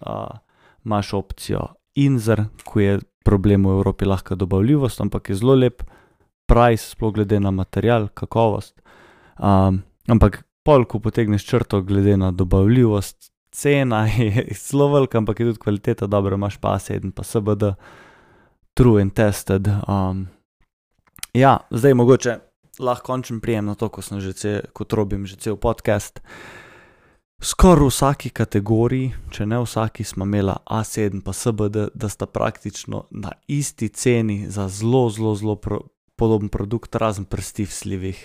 Uh, imaš opcijo Inzer, ko je problem v Evropi lahko dobavljivost, ampak je zelo lep price, sploh glede na material, kakovost. Um, ampak pol, ko potegneš črto glede na dobavljivost, cena je zelo velika, ampak je tudi kvaliteta dobra, imaš pa A sedem, pa S B D, true and tested. Um, ja, zdaj mogoče lahko končem prijem na to, ko sem že cel, kot robim že cel podcast. Skoraj v vsaki kategoriji, če ne vsaki, smo imela A sedem pa S B D, da sta praktično na isti ceni za zelo, zelo, zelo pro, podoben produkt, razen pri stiff slivih.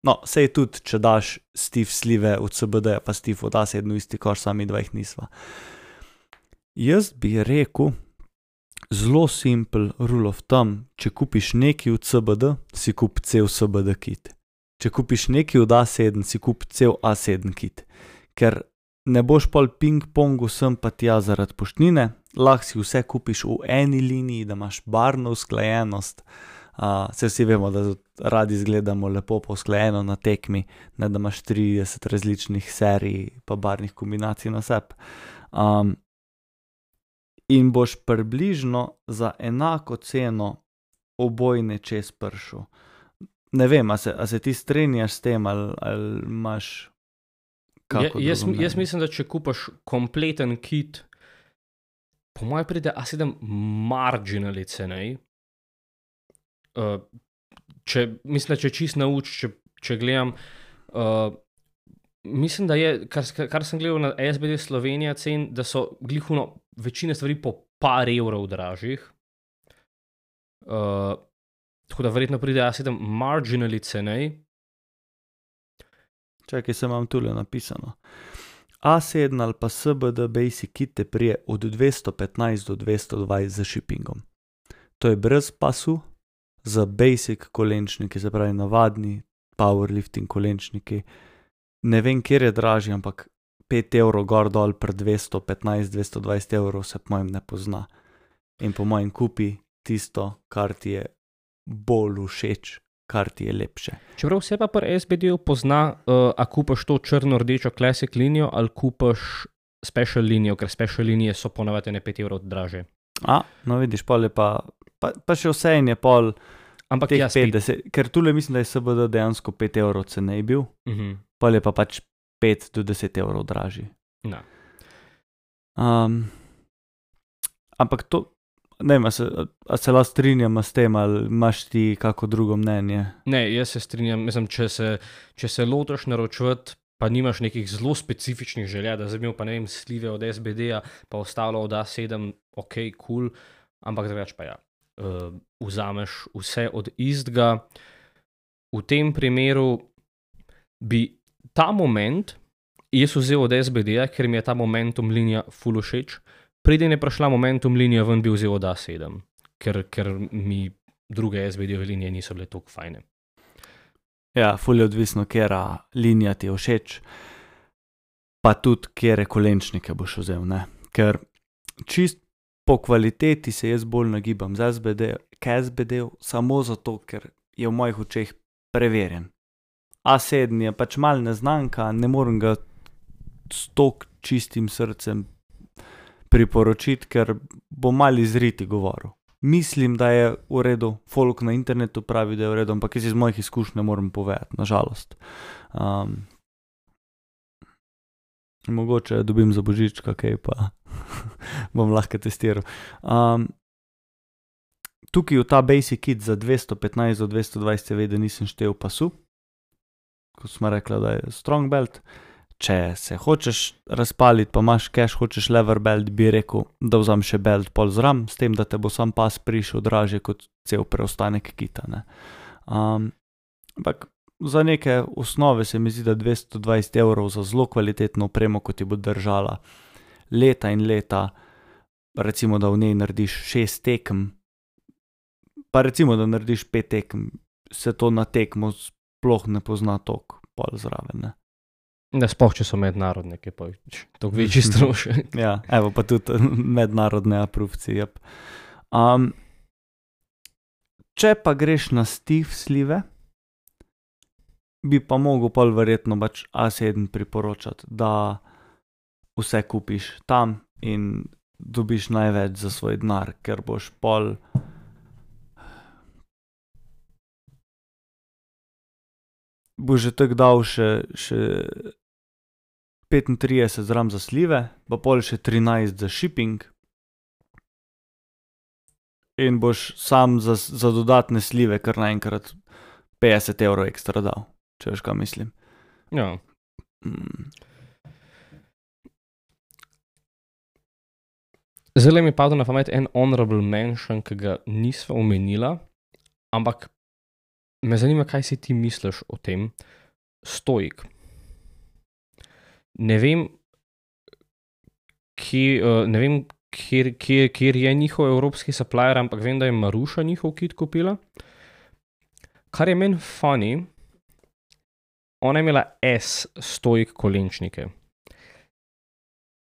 No, sej tudi, če daš stiff slive od S B D, pa stiff od A sedem v isti koš, sami dva jih nisva. Jaz bi rekel, zelo simple rule of thumb, če kupiš nekaj od S B D, si kup cel S B D kit. Če kupiš nekaj od A sedem, si kup cel A sedem kit. Ker ne boš pol ping-pongu sem pa tja zaradi poštnine, lahko si vse kupiš v eni liniji, da imaš barno usklajenost. Uh, se vsi vemo, da radi izgledamo lepo usklajeno na tekmi, ne da imaš trideset različnih serij pa barvnih kombinacij na sebi. Um, in boš približno za enako ceno obojne čez pršel. Ne vem, a se, a se ti strinjaš s tem, ali, ali imaš kako
Ja, jaz,
drugo
jaz
mnenje?
mislim, da če kupaš kompleten kit, po mojem pride A sedem marginally cenej. Uh, če, mislim, da če čist nauč, če, če gledam, uh, mislim, da je, kar, kar sem gledal na S B D Slovenija cen, da so glihuno večine stvari po par evrov dražjih. Uh, tako da verjetno pride A sedem marginally cenej.
Čakaj, se imam tule napisano. A sedem ali pa S B D Basic Kit te prije od dvesto petnajst do dvesto dvajset za shippingom. To je brez pasu, za basic kolenčniki, se pravi navadni powerlifting kolenčniki. Ne vem, kjer je dražji, ampak pet evrov gor dol pri dvesto petnajst do dvesto dvajset evrov se po mojem ne pozna. In po mojem kupi tisto, kar ti je bolj všeč, kar ti je lepše.
Čeprav se pa pri S B D-ju pozna, uh, a kupaš to črno-rdečo classic linijo ali kupaš special linijo, ker special linije so ponavadi ne pet evrov draže.
A, no vidiš, pol je pa, pa, pa še vse in je pol
Ampak
teh
ja, spet.
petdeset, ker tule mislim, da je S B D dejansko pet evrov cenej bil,
Uh-huh.
pol je pa pač pet do deset evrov dražji.
No.
Um, ampak to, ne vem, a se, a se lahko strinjam s tem, ali imaš ti kako drugo mnenje?
Ne, jaz se strinjam, mislim, če se, če se lotiš naročevati, pa nimaš nekih zelo specifičnih želja, da zdaj imel pa ne vem slive od S B D-ja, pa ostalo od A sedem, ok, cool, ampak drugače pa ja. Uh, vzameš vse od istega. V tem primeru bi ta moment jaz vzel od S B D-ja, ker mi je ta momentum linija ful všeč. Preden je prišla momentum linija ven, bi vzel od A sedem, ker, ker mi druge S B D-ove linije niso bile toliko fajne.
Ja, ful je odvisno, kjera linija ti je všeč, pa tudi kjere kolenčnike boš vzel, ne. Ker čist po kvaliteti se jaz bolj nagibam z S B D, k S B D-ju, samo zato, ker je v mojih očeh preverjen. A sedem je pač mal neznanka, ne morem ga s tok čistim srcem priporočiti, ker bo mal izriti govoril. Mislim, da je v redu, folk na internetu pravi, da je v redu, ampak jaz iz mojih izkušnj ne morem povedati, nažalost. Um, mogoče dobim za božička, kaj pa bom lahko testiral. Um, tukaj v ta basic kit za dvesto petnajst do dvesto dvajset seveda nisem štel pasu, ko smo rekla, da je strong belt. Če se hočeš razpaliti, pa imaš cash, hočeš lever belt, bi rekel, da vzam še belt pol zram, s tem, da te bo sam pas prišel dražje kot cel preostanek kita, ne. Um, ampak za neke osnove se mi zdi, da dvesto dvajset evrov za zelo kvalitetno opremo, kot ti bo držala leta in leta, recimo, da v njej narediš šest tekem, pa recimo, da narediš pet tekem, se to na tekmo sploh ne pozna toliko pol zraven, ne.
Da sploh, če so mednarodne, ki pa toliko večji strošek.
Ja, evo pa tudi mednarodne apruvci, jep. Um, če pa greš na stiv slive, bi pa mogel pol verjetno pač A sedem priporočati, da vse kupiš tam in dobiš največ za svoj denar, ker boš pol boš že tako dal še, še petintrideset zram za slive, pa pol še trinajst za shipping in boš sam za, za dodatne slive kar naenkrat petdeset evrov ekstra dal, če veš, kaj mislim.
Ja.
Mm.
Zdaj mi je padel na pamet en honorable mention, ki ga nisva omenila, ampak me zanima, kaj si ti misliš o tem. Stoik. Ne vem, kje, uh, ne vem kjer, kjer, kjer je njihov evropski supplier, ampak vem, da je Maruša njihov kit kupila. Kar je meni funny, ona je imela S Stoik kolenčnike.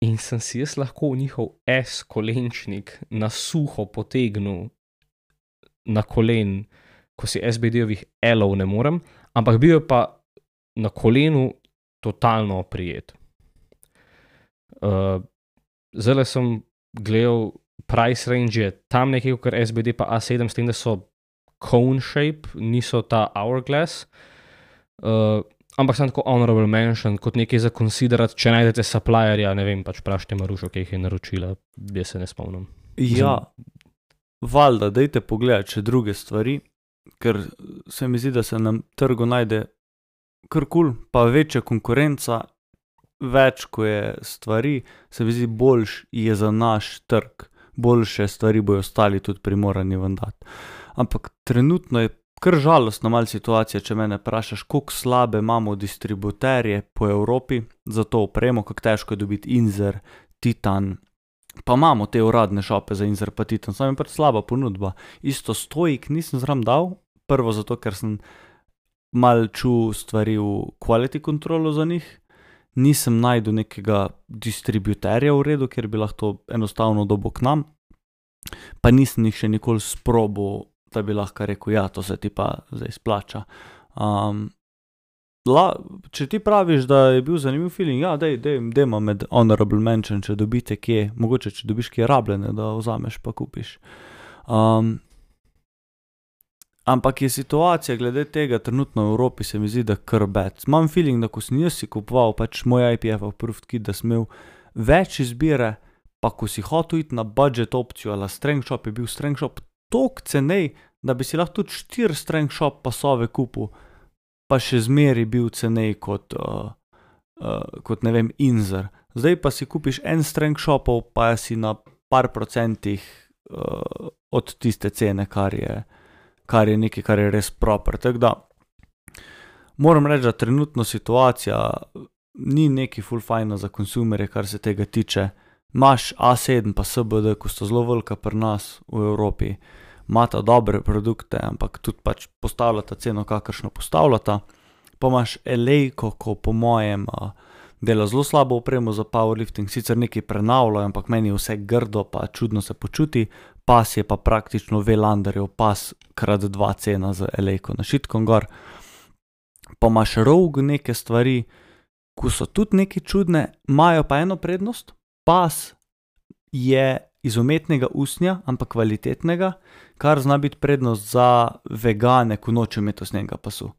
In sem si jaz lahko njihov S kolenčnik na suho potegnil na kolen, ko si S B D-ovih L-ov ne morem, ampak bil je pa na kolenu totalno oprijet. Uh, zdaj sem gledal price range je tam nekaj kot S B D pa A sedem, s tem, da so cone shape, niso ta hourglass. Uh, ampak sem tako honorable mention, kot nekaj za considerati, če najdete supplierja, ne vem, pač prašite Marušo, ki jih je naročila, jaz se ne spomnim.
Ja, valjda, dajte pogledati še druge stvari, ker se mi zdi, da se na trgu najde kar kul, pa večja konkurenca, več, ko je stvari, se mi zdi, boljš je za naš trg, boljše stvari bojo ostali tudi primorani ven dati. Ampak trenutno je kar žalostna mal situacija, če mene vprašaš, koliko slabe imamo distributerje po Evropi za to opremo, kako težko je dobiti Inzer, Titan, pa imamo te uradne šope za Inzer pa Titan, samo je pač slaba ponudba. Isto Stoik nisem zraven dal, prvo zato, ker sem mal čul stvari v quality controlu za njih, nisem našel nekega distributerja v redu, kjer bi lahko enostavno dobil k nam, pa nisem jih še nikoli sprobal, da bi lahko rekel, ja, to se ti pa zdaj splača. Um, la, če ti praviš, da je bil zanimiv feeling, ja, dej, dej, dejma med honorable mention, če dobite kje, mogoče če dobiš kje rabljene, da vzameš pa kupiš. Um, ampak je situacija glede tega trenutno v Evropi se mi zdi, da kar bad. Imam feeling, da ko sem jaz si kupoval pač moj I P F approved kit, da sem imel več izbire, pa ko si hotel iti na budget opcijo ali strength shop, je bil strength shop toliko cenej, da bi si lahko tudi štiri strength shop pasove kupil, pa še zmeri bil cenej kot, uh, uh, kot ne vem, Inzer. Zdaj pa si kupiš en strength shopov, pa si na par procentih uh, od tiste cene, kar je, kar je nekaj, kar je res proper. Tako da, moram reči, da trenutno situacija ni neki ful fajna za konsumerje, kar se tega tiče. Imaš A sedem pa S B D, ko sta zelo velika pri nas v Evropi, imata dobre produkte, ampak tudi pač postavljata ceno, kakršno postavljata. Pa imaš Elejko, ko po mojem uh, dela zelo slabo opremo za powerlifting, sicer nekaj prenavljajo, ampak meni je vse grdo, pa čudno se počuti. Pas je pa praktično Velanderjev pas krat dva cena z Elejko na šitkom gor. Pa imaš Rogue neke stvari, ko so tudi neke čudne, imajo pa eno prednost. Pas je iz umetnega usnja, ampak kvalitetnega, kar zna biti prednost za vegane, ko nočejo imeti usnjenega pasu.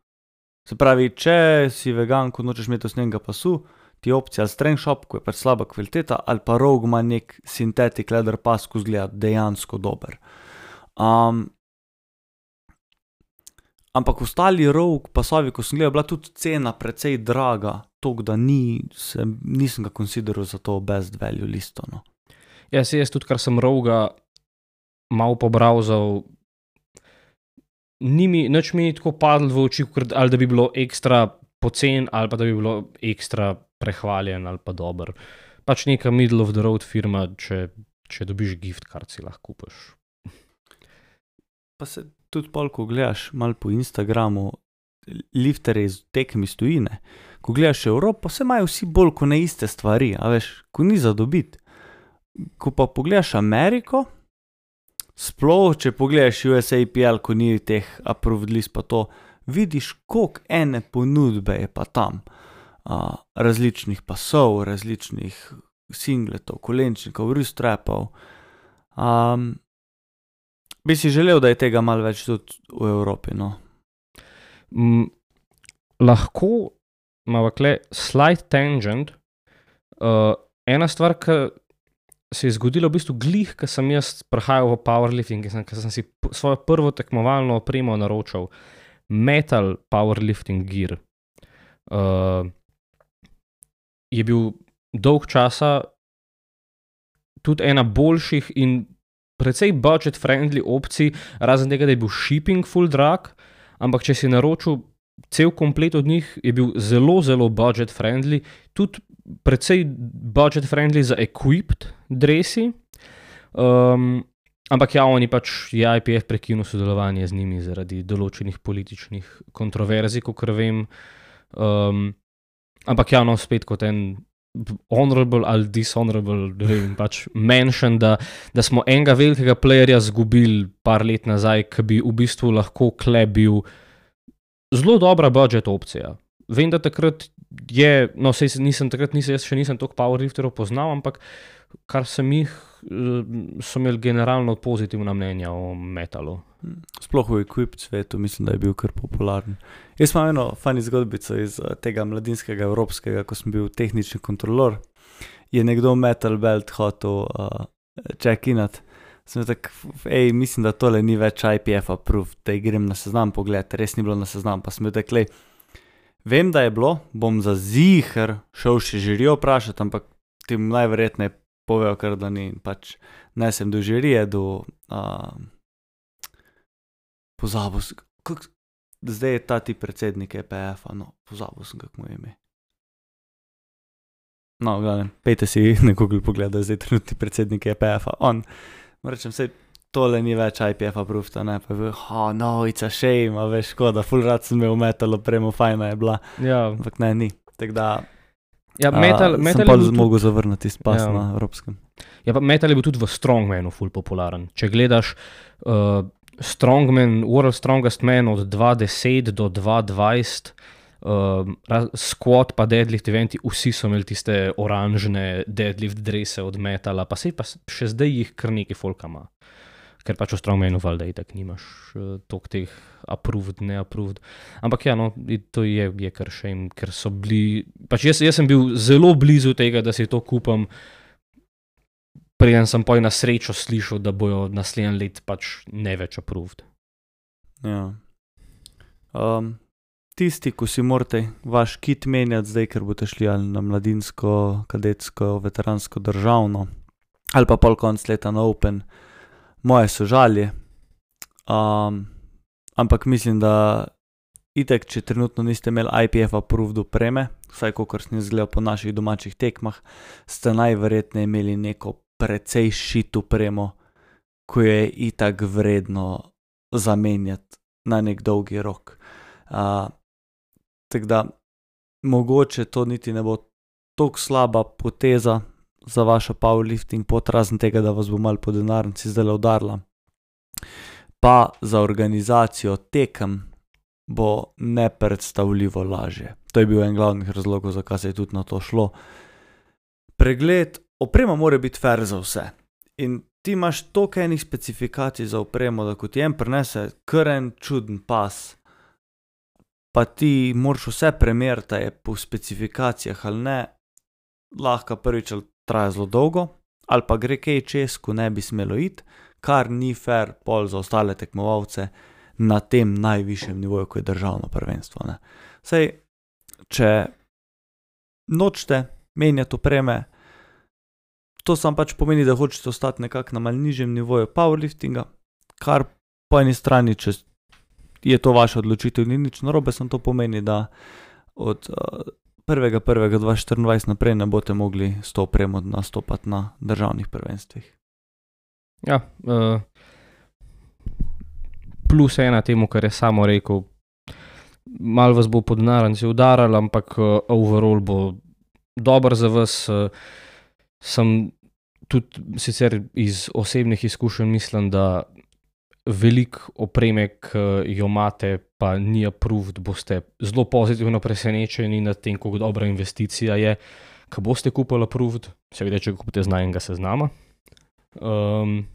Se pravi, če si vegan, ko nočeš imeti usnjenega pasu, ti je opcija strength shop, ko je pač slaba kvaliteta, ali pa Rogue ima nek synthetic leather pas, ko izgleda dejansko dober. Um, ampak ostali Rogue pasovi, ko sem gledal, bila tudi cena precej draga, toliko da ni, se, nisem ga consideral za to best value listo. No.
Ja, se jaz tudi, kar sem Roga malo pobrauzal, ni mi, nič mi ni tako padlo v oči, ali da bi bilo ekstra pocen, ali pa da bi bilo ekstra prehvaljen, ali pa dober. Pač neka middle of the road firma, če, če dobiš gift card, si lahko kupiš.
Pa se tudi pol, ko gledaš malo po Instagramu, liftere iz tekem iz tujine, ko gledaš Evropo, se imajo vsi bolj kot ne iste stvari, a veš, ko ni za dobiti. Ko pa pogledaš Ameriko, sploh, če pogledaš U S A P L, ko ni teh approved list pa to, vidiš, koliko ene ponudbe je pa tam. Uh, različnih pasov, različnih singletov, kolenčnikov, wrist-strapov. Um, bi si želel, da je tega malo več tudi v Evropi, no?
Mm, lahko imamo kle slight tangent. Uh, ena stvar, ki se je zgodila v bistvu glih, ko sem jaz prehajal v powerlifting, ko sem si svojo prvo tekmovalno opremo naročal, metal powerlifting gear. Uh, je bil dolg časa tudi ena boljših in precej budget-friendly opcij, razen tega, da je bil shipping full drag, ampak če si naročil cel komplet od njih, je bil zelo, zelo budget-friendly, tudi precej budget-friendly za equipped dresi, um, ampak ja, oni pač je I P F prekinil sodelovanje z njimi zaradi določenih političnih kontroverzij, kakor vem. Um, ampak ja, no, spet kot en honorable ali dishonorable vem, pač mention, da, da smo enega velikega playerja zgubili par let nazaj, ki bi v bistvu lahko kle bil zelo dobra budget opcija. Vem, da takrat je, no, sej nisem, takrat nisem, jaz še nisem toliko powerlifterov poznal, ampak kar sem jih, so imeli generalno pozitivna mnenja o metalu.
Sploh v equipped svetu, mislim, da je bil kar popularen. Jaz imam eno funny zgodbico iz tega mladinskega evropskega, ko sem bil tehnični kontrolor, je nekdo metal belt hotel uh, check-inat. Sem tak, ej, mislim, da tole ni več I P F approved, da grem na seznam pogled, res ni bilo na seznam, pa sem bil tak, lej, vem, da je bilo, bom za ziher šel še žirijo vprašati, ampak ti najverjetneje povejo, ker da ni, pač ne sem do žirije, do uh, pozabil sem, kak, zdaj je ta ti predsednik E P F-a, no, pozabil sem, kako mu je ime. No, gledam, pejte si na Google pogledaj, zdaj trenutni predsednik E P F-a, on, rečem, sej tole ni več I P F approved, ne, pa je bil, oh, no, it's a shame, a veš, škoda, ful rad sem imel metal opremo, fajna je bila,
Ja,
ampak ne, ni, tako da
ja metal,
uh,
metal
sem pa
je bil tudi,
zmogel zavrniti spas
Ja.
na evropskem.
ja, pa metal je bil tudi v Strongmanu ful popularen. Če gledaš uh, Strongman, World Strongest Man od dva deset do dva dvajset, uh, raz- squat pa deadlift eventi, vsi so imeli tiste oranžne deadlift drese od metala, pa sej pa s- še zdaj jih kar nekaj folka ima. Ker pač v Strongmanu valjda itak nimaš uh, toliko teh approved, ne approved. Ampak ja, no, i- to je, je kar shame, ker so bili, pač jaz, jaz sem bil zelo blizu tega, da si to kupam, preden sem poj na srečo slišal, da bojo naslednji let pač ne več approved.
Ja. Um, tisti, ko si morate vaš kit menjati zdaj, ker boste šli ali na mladinsko, kadetsko, veteransko državno, ali pa pol konc leta na Open, moje sožalje. Um, ampak mislim, da itek, če trenutno niste imeli I P F approved opreme, vsaj kakor sem jaz gledal po naših domačih tekmah, ste najverjetneje imeli neko precej shit opremo, ko je itak vredno zamenjati na nek dolgi rok. Uh, tako da mogoče to niti ne bo toliko slaba poteza za vašo powerlifting pot, razen tega, da vas bo malo po denarnici zdaj udarila. Pa za organizacijo tekem bo nepredstavljivo lažje. To je bil en glavnih razlogov, zakaj se je tudi na to šlo. Pregled, oprema mora biti fair za vse. In ti imaš toliko enih specifikacij za opremo, da ko ti en prinese kar en čuden pas, pa ti moraš vse premeriti, a je po specifikacijah ali ne, lahko prvič ali traja zelo dolgo, ali pa gre kaj čez, ko ne bi smelo iti, kar ni fair pol za ostale tekmovalce na tem najvišjem nivoju, ko je državno prvenstvo. Ne. Sej, če nočete menjati opreme, to sam pač pomeni, da hočete ostati nekako na malo nižjem nivoju powerliftinga, kar po eni strani, če je to vaša odločitev, ni nič narobe, samo to pomeni, da od uh, prvega prvega dva štiriindvajset naprej ne boste mogli s to opremo nastopati na državnih prvenstvih.
Ja, uh, plus ena temu, kar je samo rekel, malo vas bo po denarnici udaralo, ampak uh, overall bo dober za vas. Uh, sem tudi sicer iz osebnih izkušenj mislim, da veliko opreme, ki jo imate, pa ni approved, boste zelo pozitivno presenečeni nad tem, kako dobra investicija je, ko boste kupili approved, seveda, če ga kupite z najnega seznama. Um,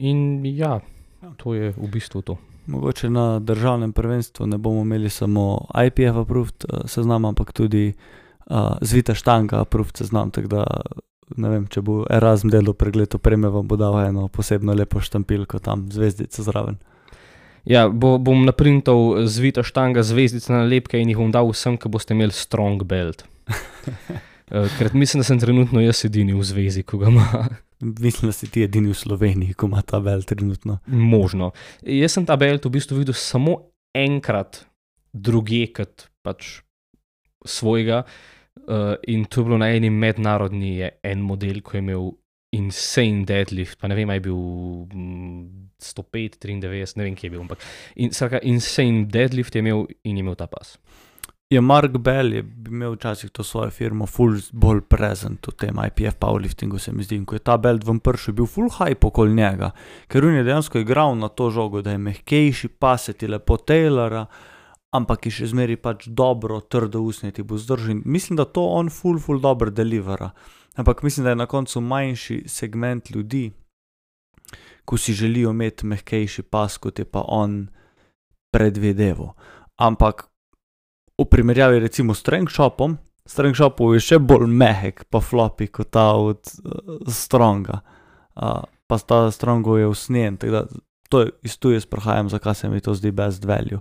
in ja, to je v bistvu to.
Mogoče na državnem prvenstvu ne bomo imeli samo I P F approved uh, seznam, ampak tudi uh, zvita štanga approved seznam, tako da ne vem, če bo Erasm delal pregled opreme, vam bo dal eno posebno lepo štampilko tam, zvezdico zraven.
Ja, bo, bom naprintal zvita štanga, zvezdice nalepke in jih bom dal vsem, ki boste imeli strong belt. Uh, ker mislim, da sem trenutno jaz edini v zvezi, ko ga ima.
Mislim, da si ti edini v Sloveniji, ko ima ta belt trenutno.
Možno. Jaz sem ta belt v bistvu videl samo enkrat drugje kot pač svojega uh, in to je bilo na eni mednarodni je en model, ko je imel insane deadlift, pa ne vem, je bil mm, sto pet, triindevetdeset, ne vem, kje je bil, ampak in, sraka, insane deadlift je imel in je imel ta pas.
Je Mark Bell je imel včasih to svojo firmo ful bolj present v tem I P F powerliftingu, se mi zdi, in ko je ta belt ven prišel, je bil ful hype okoli njega, ker on je dejansko igral na to žogo, da je mehkejši, pas se ti lepo tailora, ampak je še zmeri pač dobro, trdo usnje ti bo zdržal. Mislim, da to on ful, ful dobro delivera, ampak mislim, da je na koncu manjši segment ljudi, ko si želijo imeti mehkejši pas, kot je pa on predvideval. Ampak v primerjavi recimo s Strength Shopom, Strength Shopov je še bolj mehek pa floppy kot ta od uh, Stronga. Uh, pa ta Strongov je usnjen, tako da to je, iz tu jaz prihajam, zakaj se mi to zdi best value.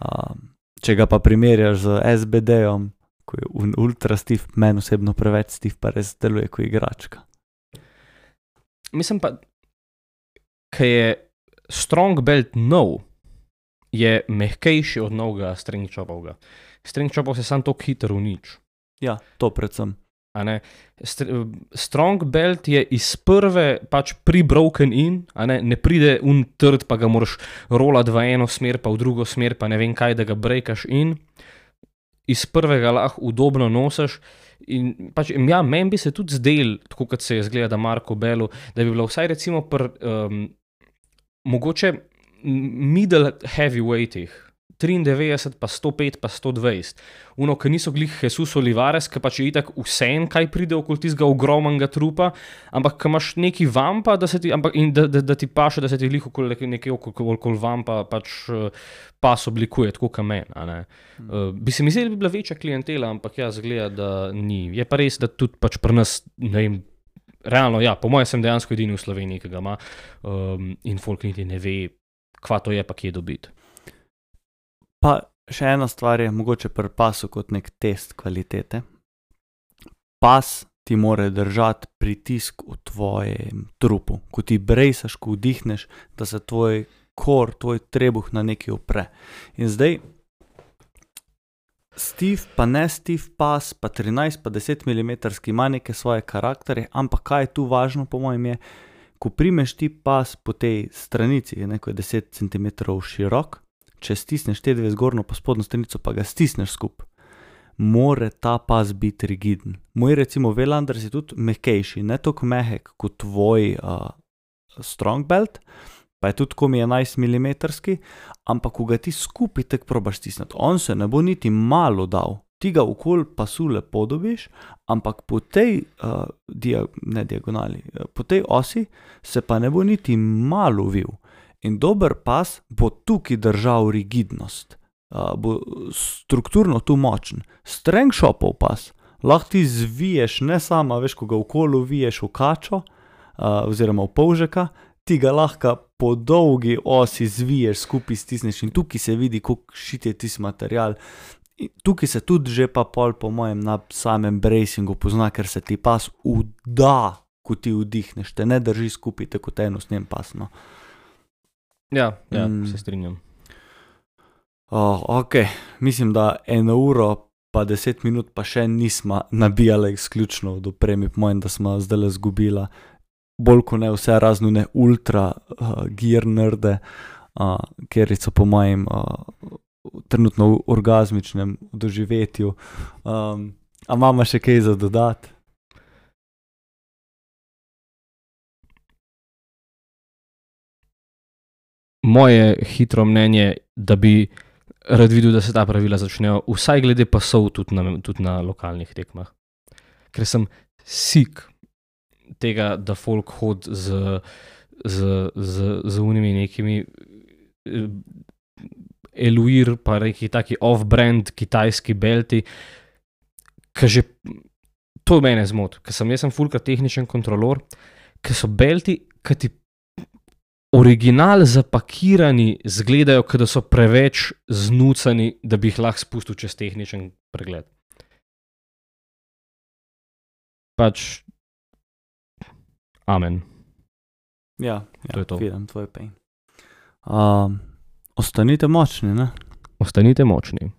Uh, Če ga pa primerjaš z S B D-om, ko je ultra stiv, meni osebno preveč stiv, pa res deluje kot igračka.
Mislim pa, ker je strong belt nov, je mehkejši od novega string chopovga. String chopov se sam toliko hitro unič.
Ja, to predvsem.
A ne? Strong belt je iz prve pač pre-broken in, a ne? Ne pride un trd, pa ga moraš rolati v eno smer, pa v drugo smer, pa ne vem kaj, da ga breakaš in. Iz prvega lahko udobno nosiš. In pač, ja, meni bi se tudi zdel, tako kot se je zgleda Marko Bellu, da bi bilo vsaj recimo pri um, mogoče middle heavyweightih, triindevetdeset, pa sto pet, pa sto dvajset. Uno, ki niso glih Jesus Olivares, ki pač je itak vsem, kaj pride okoli tistega ogromnega trupa, ampak ki imaš neki vampa, da se ti, ampak, in da, da, da ti paše, da se ti glih okoli nekaj okoli, okoli vampa pač pas oblikuje, tako kot meni. Hmm. Uh, bi se mi zdeli, da bi bila večja klientela, ampak ja, zgleda, da ni. Je pa res, da tudi pač pri nas, ne vem, realno, ja, po mojem sem dejansko edini v Sloveniji, ki ga ima um, in folk niti ne ve, kva to je, pa kje dobiti.
Pa še ena stvar je mogoče pri pasu kot nek test kvalitete. Pas ti mora držati pritisk v tvojem trupu. Ko ti brejsaš, ko vdihneš, da se tvoj kor, tvoj trebuh na nekaj opre. In zdaj stiv pa ne stiv pas, pa trinajst pa deset milimetrov ima neke svoje karakterje, ampak kaj je tu važno po mojem je, ko primeš ti pas po tej stranici, je neko deset centimetrov širok, če stisneš te dve zgornjo pa spodnjo stranico, pa ga stisneš skup, more ta pas biti rigiden. Moj recimo Welander je tudi mehkejši, ne toliko mehek kot tvoj uh, strong belt, pa je tudi komi enajst milimetrov, ampak ko ga ti skupaj tek probaš stisniti, on se ne bo niti malo dal. Ti ga okoli pasu lepo dobiš, ampak po tej, uh, dia, ne diagonali, po tej osi se pa ne bo niti malo vil. In dober pas bo tukaj držal rigidnost, uh, bo strukturno tu močen. Streng shopov pas, lahko ti zviješ, ne sama, veš, ko ga okolo viješ v kačo, uh, oziroma v polžeka, ti ga lahko po dolgi osi zviješ, skupaj stisneš in tukaj se vidi, koliko šit je tisti material. In tukaj se tudi že pa pol po mojem na samem bracingu pozna, ker se ti pas vda, ko ti vdihneš, te ne drži skupaj tako eno s njem pasno.
Ja, ja, mm. se strinjam.
Oh, ok, mislim, da eno uro pa deset minut pa še nismo nabijali izključno od opremi, po mojem, da smo zdaj le zgubila bolj kot ne vse raznune ultra uh, gear nerde, uh, ker so po mojem uh, trenutno v orgazmičnem doživetju. Um, a imamo še kaj za dodati?
Moje hitro mnenje, da bi rad videl, da se ta pravila začnejo, vsaj glede pasov tudi na, tudi na lokalnih tekmah. Ker sem sik tega, da folk hod z, z, z, z unimi nekimi Eluir, pa neki taki off-brand kitajski belti, ki že, to mene zmot, ker sem, jaz sem fulka tehničen kontrolor, ker so belti, ki ti original zapakirani zgledajo, da so preveč znucani, da bi jih lahko spustil čez tehničen pregled. Pač, amen.
Ja,
to
ja
je to.
Vidim tvoj pain. Um, ostanite močni, ne?
Ostanite močni.